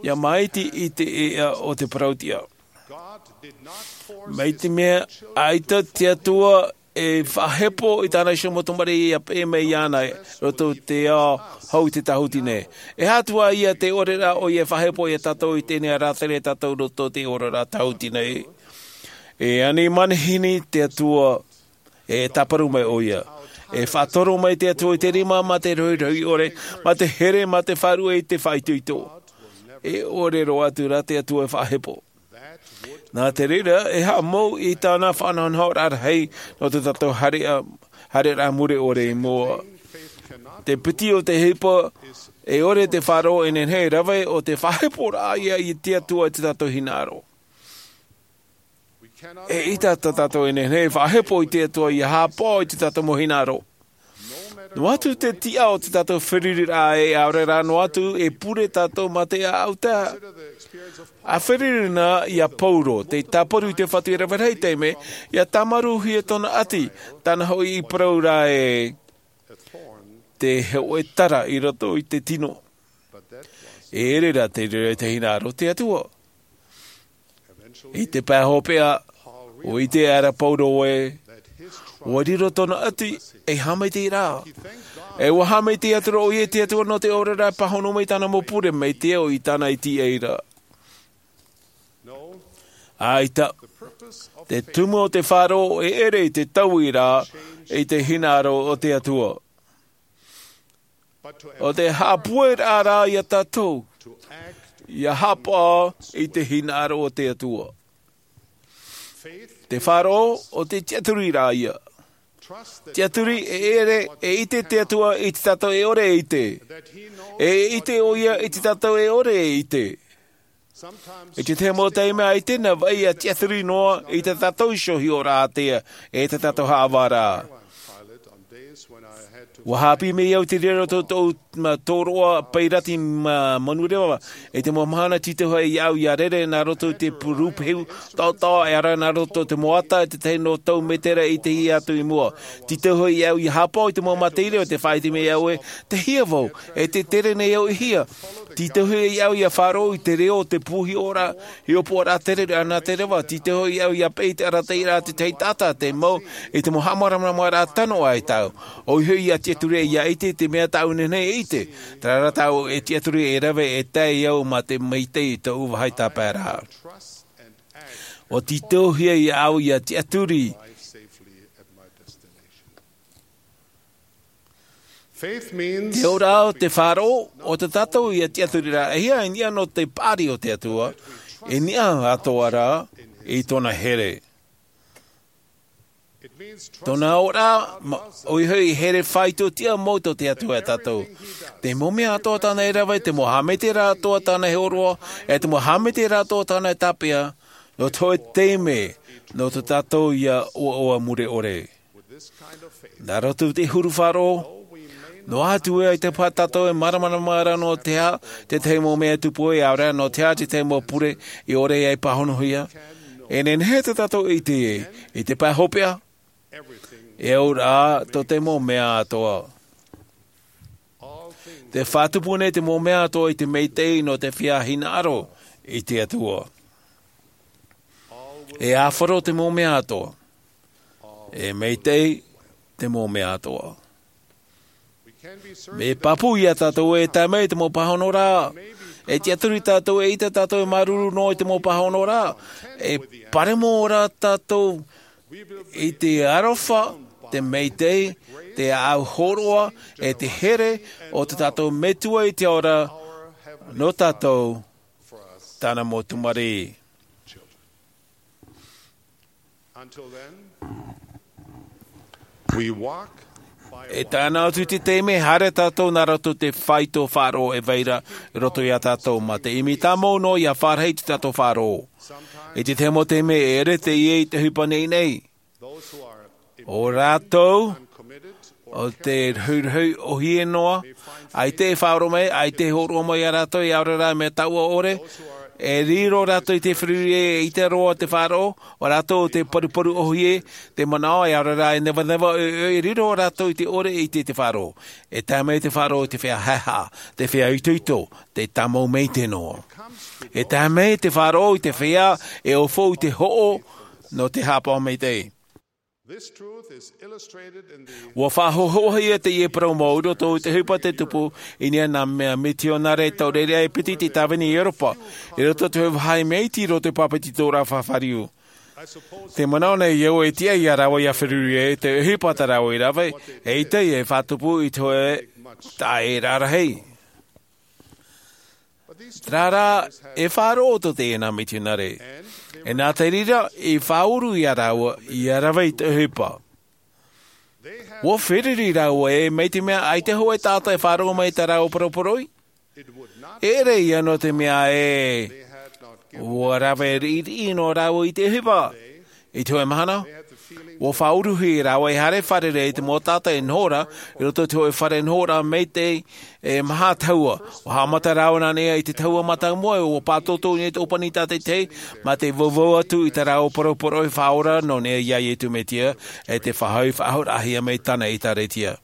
ia māiti i te ʻēʻa o te parautiʻa. Mai te mea ʻaita te Atua e faʻahepo i tāna iho mau tamariʻi ia peʻe mai iāna i roto i te ao hou i te tāhuti nei. E aha atu ā ia te ʻore rā ʻoia e faʻahepo ia tātou i teie nei e rātere tātou i roto i te oraraʻa tāhuti nei? E ani manihini te Atua, e tāparu mai ʻoia. E faʻatoro mai te Atua i te rima mā te rohirohi ʻore, mā te here, mā te faʻaruʻe i te faʻaitoito. E ʻore roa atu rā te Atua e faʻahepo. Nā te reira, e haʻamou i tāna faʻanahonahoraʻa rahi nō tō tātou haereraʻa, haereraʻa mure ʻore i mua. Te piti o te ʻohipa, e ʻore te faʻaroʻo e nehenehe e rave ʻo te faʻaheporaʻa ia i te Atua i tō tātou hinaʻaro. E ʻita tā tātou e nehenehe e faʻahepo i te Atua ia haʻapaʻo i tō tātou mau hinaʻaro. Noa atu te tiʻa o tō tātou feruriraʻa ē, ʻaore rā noa atu e pure tātou mā te ʻāʻau taeaʻe. A feruri na ia Paulo, tei tāparu i te Fatu e rave rahi taime, ia tāmarūhia tōna ʻati, tāna hoʻi i parau ra ē, te hōʻē tara i roto i te tino. E ʻere rā te reira i te hinaʻaro o te Atua. I te pae hopeʻa, ʻua ʻite aʻera Paulo ē, ʻua riro tōna ʻati ei haʻamaitaʻiraʻa. E ʻua haʻamaitaʻi atu ra ʻoia i te Atua nō te oraraʻa e pāhono mai i tāna mau pure mai te ao i tāna i tīaʻi ra. ʻAita, te tumu o te faʻaroʻo e ʻere i te taui ra i te hinaʻaro o te Atua. ʻO te haʻapueraʻa rā ia tātou, ia haʻapaʻo i te hinaʻaro o te Atua. Te faʻaroʻo ʻo te tiʻaturi rā ia. Tiʻaturi e ʻere e ʻite te Atua i tō tātou e ʻore e ʻite. E ʻite ʻoia i tō tātou e ʻore e ʻite. I te tahi mau taime ʻaita e vaʻi ia tiʻaturi noa i tō tātou iho hiʻoraʻa ātea, e tō tātou haʻavāraʻa. ʻUa haʻapiʻi mai au i te reira o tōʻu tōroʻa pairati ma-, manureva, i te mau mahana tītauhia iāʻu ia rere nā roto i te pū-, rūpehu taʻotaʻo, ʻaore rā nā roto i te mau ata, i te tahi noa tau mētera i te hia atu i mua. Tītauhia iāʻu ia haʻapaʻo i te mau mataʻi reo, tē faʻaʻite mai iāʻu ē, tei hea vau, e tē tere nei au i hea. Tītauhia iāʻu ia faʻaroʻo i te reo o te pū hiʻoraʻa, hiʻopoʻaraʻa tereraʻa nā te reva. Tītauhia iāʻu ia peʻe i te arataʻiraʻa a te tahi taʻata, tei mau i te mau haʻamāramaramaraʻa tano ʻaita. ʻOia hoʻi ia tiʻaturi ia ʻite i te mea tāʻu e nehenehe e ʻite. Terā rā tāʻu e tiʻaturi e rave e tae au mā te maitaʻi i tōʻu vāhi tāpaeraʻa. ʻUa tītauhia iāʻu ia tiʻaturi. Te oraraʻa o te faʻaroʻo, ʻo tā tātou ia tiʻaturi ra, e hia i niʻa nō te paʻari o te Atua, i niʻa atoʻa ra i tōna here. Tōna oraraʻa, ma-, ʻoia hoʻi e here faʻaitoitoraʻa mau tō te Atua ia tātou. Te mau mea atoʻa tāna e rave, te mau haʻamaitaʻiraʻa atoʻa tāna e hōroʻa, e te mau haʻamaitaʻiraʻa atoʻa tāna e tāpeʻa, nō te hōʻē taime, nō tō tātou ia ʻoaʻoa mure ʻore. Nā roto i te huru faʻaroʻo, noa atu ē ʻaita paha tātou e māramarama ra nō te aha te tahi mau mea e tupu ai, ʻaore rā nō te aha te tahi mau pure i ʻore ai pāhonohia. E nehenehe tā tātou e ʻite ē, i te pae hopeʻa, e au ra tō te mau mea atoʻa. Te faʻatupu nei te mau mea atoʻa i te maitaʻi nō te feiā hinaʻaro i te Atua. E āfaro te mau mea atoʻa. E maitaʻi te mau mea atoʻa. Mea pāpū ia tātou ē tae mai te mau pāhonoraʻa. E tiʻaturi tātou, e ʻita tātou, e māuruuru noa i te mau pāhonoraʻa. E paremo ra tātou i te aroha, te maitaʻi, te ʻāʻau hōroʻa, e te here o tō tātou Metua i te ao ra, nō tātou, tāna mau tamariʻi. E tae noa atu te taime, haere tātou nā roto i te faito faʻaroʻo e vai ra i roto ia tātou, mā te ʻimi tāmau noa ia fārahi i tō tātou faʻaroʻo. I te tahi mau taime e ʻere teie i te ʻohipa nainai. ʻO rātou ʻo te ruhiruhi ʻohie noa, ʻaita e faʻaroʻo mai, ʻaita e hōroʻa mai iā rātou, e ʻaore rā mea taʻua ʻore, e riro rātou i te feruri e ʻite roa te faʻaroʻo, ʻo rātou te paruparu ʻohie, te manaʻo, e ʻaore rā e nevaneva, e, e riro rātou i te ʻore e ʻite te faʻaroʻo. E tae mai te faʻaroʻo i te feiā haʻehaʻa, te feiā itoito, te tāmau maitaʻi noa. E tae mai te faʻaroʻo i te feiā e ʻōfou i te hoʻo nō te haʻapaʻo maitaʻi. This truth is illustrated in the Ua faʻahoʻohia teie parau mau i roto i te ʻohipa tei tupu i niʻa i nā mea mitionare taureʻareʻa e piti i te tāvini i Europa, i roto i te vāhi mea iti i roto i te pāpetitoraʻa fafariu. Te manaʻo nei au e tiʻa iā rāua ʻia feruri ai te ʻohipa tā rāua i rave, e ʻite e faʻatupu i te hōʻē taʻa e rarahi. Terā rā, e faʻaroʻo tō teie nā mitionare. E nā te reira, i faʻauru iā rāua, ʻia rave i te ʻohipa. Ua feruri rāua ē, mai te mea ʻaita hōʻē taʻata e faʻaroʻo mai i tā rāua poroporoʻi. E ʻere ïa nō te mea ē, ua rave riʻiriʻi noa rāua i te ʻohipa. I te hōʻē mahana, ua faʻauruhia rāua e haere fārerei i te mau taʻata e noho ra, i roto i te hōʻē fare nohoraʻa maitaʻi e maha tahua. Ua haʻamata rāua nā niʻa i te tahua mātāmua, ua pātōtō i niʻa i te ʻōpani tātaʻitahi, mā te vauvau atu i tā rāua poroporoʻi faʻaora nō niʻa iā Iesu Mesia, e te faʻahoʻi faʻahouraʻahia mai tāna ʻēkālesia.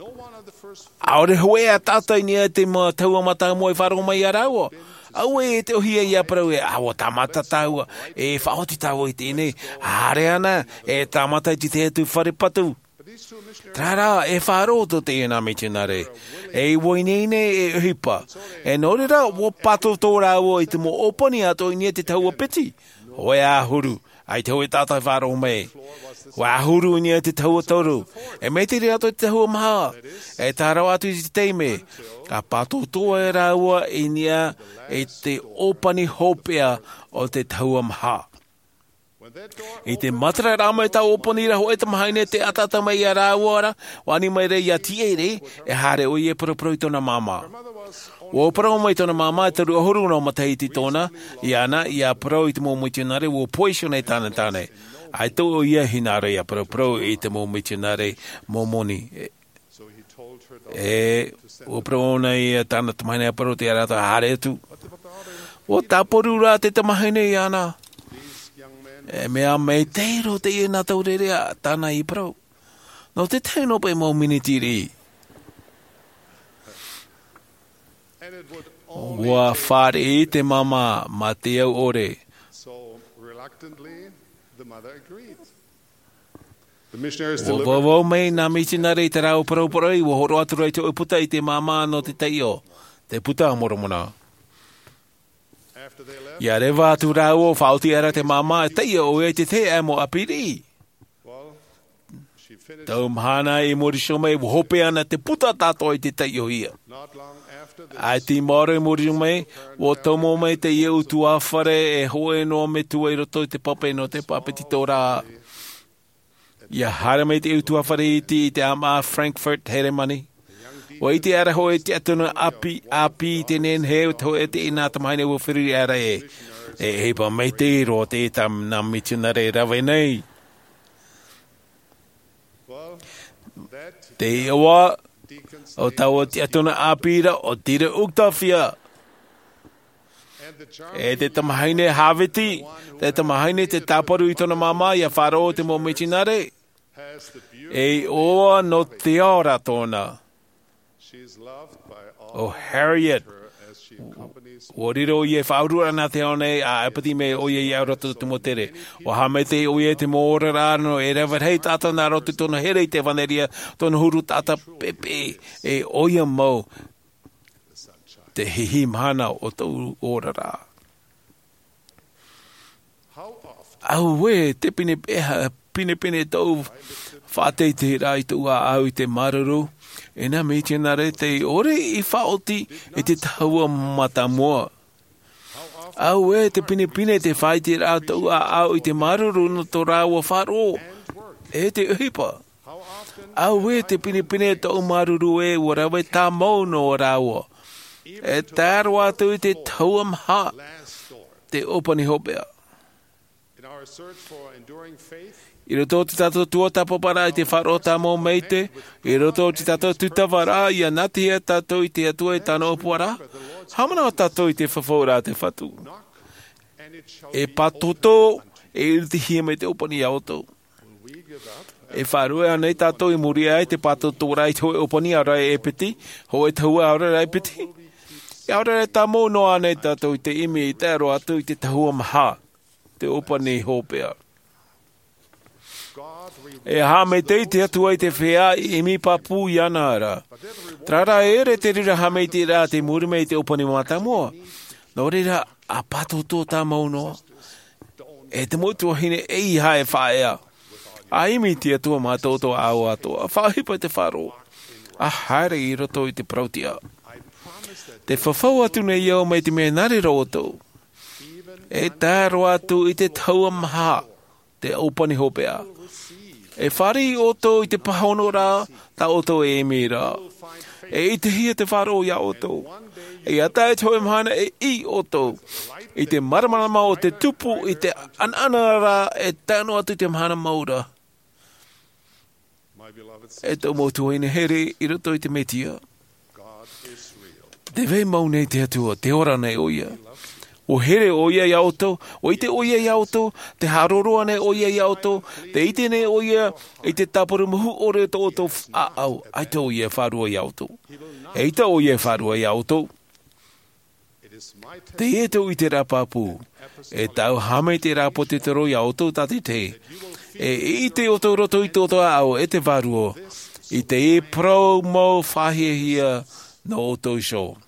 ʻAore hōʻē ā taʻata i niʻa i te mau tahua mātāmua i faʻaroʻo mai iā rāua. Auē e te ʻohie ïa parau ē, ʻa, ua tāmata tāua, e faʻaoti tāua i teie nei, haere ana, e tāmata i te tahi atu fare patu. Terā rā, e faʻaroʻo tō teie nā mitionare. E ua ineine e ʻohipa. E nō reira, ua pātōtō rāua i te mau ʻōpani atoʻa i niʻa i te tahua piti. Hōʻē ā ʻahuru, ʻaita hōʻē taʻata e faʻaroʻo mai. ʻAhuru i niʻa i te tahua toru. E maitaʻi atoʻa te tahua maha. E tae roa atu i te taime, ka pātōtō rāua i niʻa i te ʻōpani hopeʻa o te tahua maha. I te matara rā mai tā ʻōpani ra hōʻē tamahine tē ʻataʻata mai iā rāua ra, ua ani mai ra ʻia tīaʻi, e haere ʻoia e poroporoʻi i tōna māmā. Ua parau mai tōna māmā, e toru ʻahuru noa matahiti tōna, iāna, ʻia parau i te mau mitionare, ua poiso nei tāna tāne. ʻAita ʻoia i hinaʻaro ʻia poroporoʻi i te mau mitionare Mōmoni. E, ua parau ʻōna iā tāna tamahine ʻia parau atu iā rātou, haere atu. Ua tāparu rā te tamahine iāna. E mea maitaʻi roa teie nā taureʻareʻa tāna i parau. Nō te tahi noa paʻi mau miniti riʻi. Ua fāriʻi te māmā mā te au ʻore. Ua vauvau mai nā mitionare i te rāua poroporoʻi, ua hōroʻa atu ra i te hōʻē puta i te māmā nō te taiʻo, te Puta a Moromona. ʻIa reva atu rāua, ua faʻaoti aʻera te māmā, e taiʻo ʻoia i te tahi mau ʻāpī riʻi. Tau mahana i muri iho mai, ua hope ana te puta tātou i te taiʻohia. ʻAita i maoro i muri iho mai, ua tomo mai teie ʻutuāfare e hōʻē noa metua i roto i te pape nō te pāpetitoraʻa. ʻIa haere mai te ʻutuāfare iti i te ʻāmaʻa Frankfurt, Heremani. Ua ʻite aʻera hōʻē tiʻaturi ʻāpī, ʻāpī i te nehenehe o te hōʻē teie nā tamahine ua feruri aʻera ē. E ʻohipa maitaʻi roa teie tā nā mitionare e rave nei. Te iʻoa o taua tiʻaturi ʻāpī ra, ʻo Dieter Uchtdorf ʻoia. E te tamahine Hāviti, te tamahine tē tāparu i tōna māmā ʻia faʻaroʻo i te mau mitionare. E iʻoa nō te ao ra tōna. ʻO Harriet, ua riro ʻoia e faʻaururaʻa nā te ao nei, ʻa ʻāpiti mai ʻoia i roto i te mau tere. Ua haʻamaitaʻi ʻoia i te mau oraraʻa nō e rave rahi taʻata nā roto i tōna here i te ʻevanelia, tōna huru taʻata pēpē, e ʻoia mau te hihi mahana o tōʻu oraraʻa. Auē, te pine, e, pinepine tōʻu faʻateiteiraʻa i tōʻu ʻāʻau i te māuruuru, e nā mitionare tei ʻore i faʻaoti i te tahua mātāmua. Auē, te pinepine te faʻaiteraʻa tōʻu ʻāʻau i te māuruuru nō tō rāua faʻaroʻo, e te ʻohipa. Auē, te pinepine tōʻu māuruuru ē, ua rave tāmau noa rāua. E tae roa atu i te tahua maha, te ʻōpani hopeʻa. I roto i tā tātou tuatāpaparaʻa i te faʻaroʻo tāmau maitaʻi, i roto i tā tātou tūtavaraʻa, ʻia nātihia tātou i te Atua e tāna ʻōpuaraʻa. Haʻamanaʻo tātou i te fafauraʻa a te Fatu. E pātōtō, e iriti mai te ʻōpani iā ʻoutou. E faʻaruʻe ānei tātou i muri aʻe i te pātōtōraʻa i te hōʻē ʻōpani ʻaore rā e piti, hōʻē tahua ʻaore rā e piti? E ʻaore rā e tāmau noa ānei tātou i te ʻimi i tae roa atu i te tahua maha, te ʻōpani hopeʻa. E haʻamaitaʻi te Atua i te feiā i ʻimi pāpū iāna ra. Terā rā, e ʻere te reira haʻamaitaʻiraʻa tei muri mai i te ʻōpani mātāmua. Nō reira, ʻa pātōtō tāmau noa. E te mau tuahine, ʻeiaha e faʻaea. ʻA ʻimi i te Atua mā tō ʻoutou ʻāʻau atoʻa. Faʻaʻohipa i te faʻaroʻo. ʻA haere i roto i te parau-tiʻa. Te fafau atu nei au mai te mea nā reira ʻoutou. E tae roa atu i te tahua maha, te ʻōpani hopeʻa. E fāriʻi ʻoutou i te pāhonoraʻa tā ʻoutou e ʻimi ra. E ʻitehia te faʻaroʻo iā ʻoutou. E ʻia tae i te hōʻē mahana e ʻī ʻoutou i te māramarama o te tupu i te ʻanaʻanaraʻa e tae noa atu i te mahana mau ra. E tō mau tuahine here i roto i te Mesia. Te vai mau nei te Atua, tē ora nei ʻoia. ʻUa here ʻoia iā ʻoutou, ʻua ʻite ʻoia iā ʻoutou, tē haʻaroaroa nei ʻoia iā ʻoutou, tē ʻite nei ʻoia i te tāparu mahu ʻore o tō ʻoutou ʻāʻau, ʻaita ʻoia e faʻaroʻo iā ʻoutou. ʻEita ʻoia e faʻaroʻo iā ʻoutou. Teie tōʻu ʻiteraʻa pāpū, e tāʻu haʻamaitaʻiraʻa pōtitero iā ʻoutou tātaʻitahi, e ʻite ʻoutou i roto i tō ʻoutou ʻāʻau e te Vārua, i te parau mau faʻahiahia nō ʻoutou iho.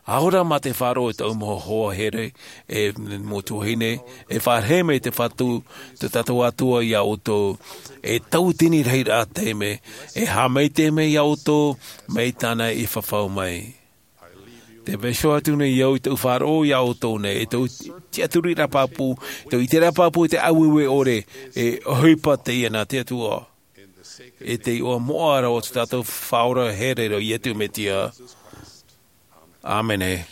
ʻA ora mā te faʻaroʻo i tōʻu mau hoa here, e mau tuahine, e faʻaroʻo mai te Fatu, tō tātou Atua iā ʻoutou, e tauatini rahiraʻa taime, e haʻamaitaʻi mai iā ʻoutou, mai tāna i fafau mai. Tē vai iho atu nei au i tōʻu faʻaroʻo iā ʻoutou nei, e tōʻu tiʻaturiraʻa pāpū, tōʻu ʻiteraʻa pāpū i te ʻāueue ʻore, e ʻohipa teie nā te Atua. I te iʻoa moʻa ra o tō tātou Faʻaora here nō Iesu Mesia. ʻĀmene.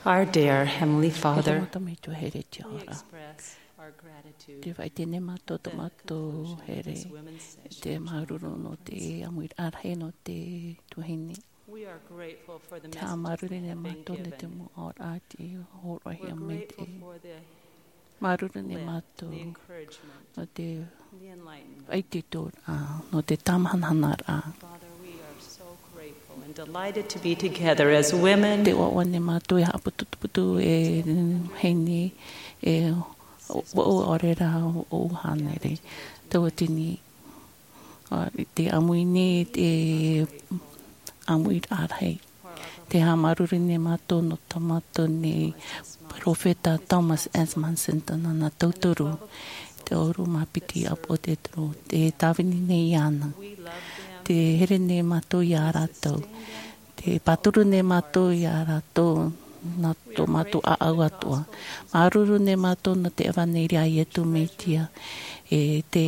Our dear Heavenly Father, e te Metua here tiʻa ora, te faʻaʻite nei mātou tō mātou here, te māuruuru nō te ʻāmuiraʻa rahi nō te tuahine. Te haʻamāuruuru nei mātou nō te mau aʻoraʻa i hōroʻahia mai te māuruuru nei mātou nō te faʻaitoitoraʻa, nō te tāmahanahanaraʻa. Te ʻoaʻoa nei mātou e haʻaputuputu e vahine, e vaʻu ʻaore rā ʻo hānere. Tauatini, te ʻāmui nei te ʻāmuiraʻa rahi. Te haʻamāuruuru nei mātou nō tō mātou nei peropheta Thomas S. Monson, tōna nā tauturu, te ʻahuru mā piti ʻāpoʻo Petero, te tāvini nei iāna. Te here nei mātou iā rātou. Te pāturu nei mātou iā rātou nā tō mātou ʻāʻau atoʻa. Māuruuru nei mātou nō te ʻevaneria a Iesu Mesia, e te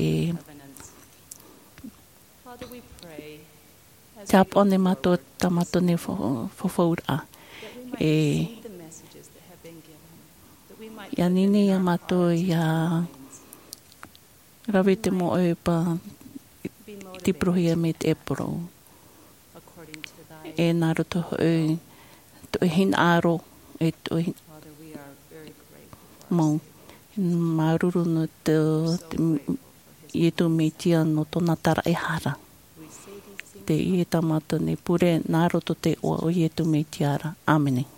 Te haʻapaʻo nei mātou tā mātou nei fau-, faufauraʻa. E, ʻia ani nei iā mātou ʻia rave te mau ʻohipa i te porohia mai te ʻēporo. E nā roto hoʻi tō ʻoe hinaʻaro, e tō ʻoe hin-, mau. Māuruuru nō te, te Iesu Mesia nō tōna taraehara. Teie tā mātou nei pure nā roto i te iʻoa o Iesu Mesia ra. ʻĀmene.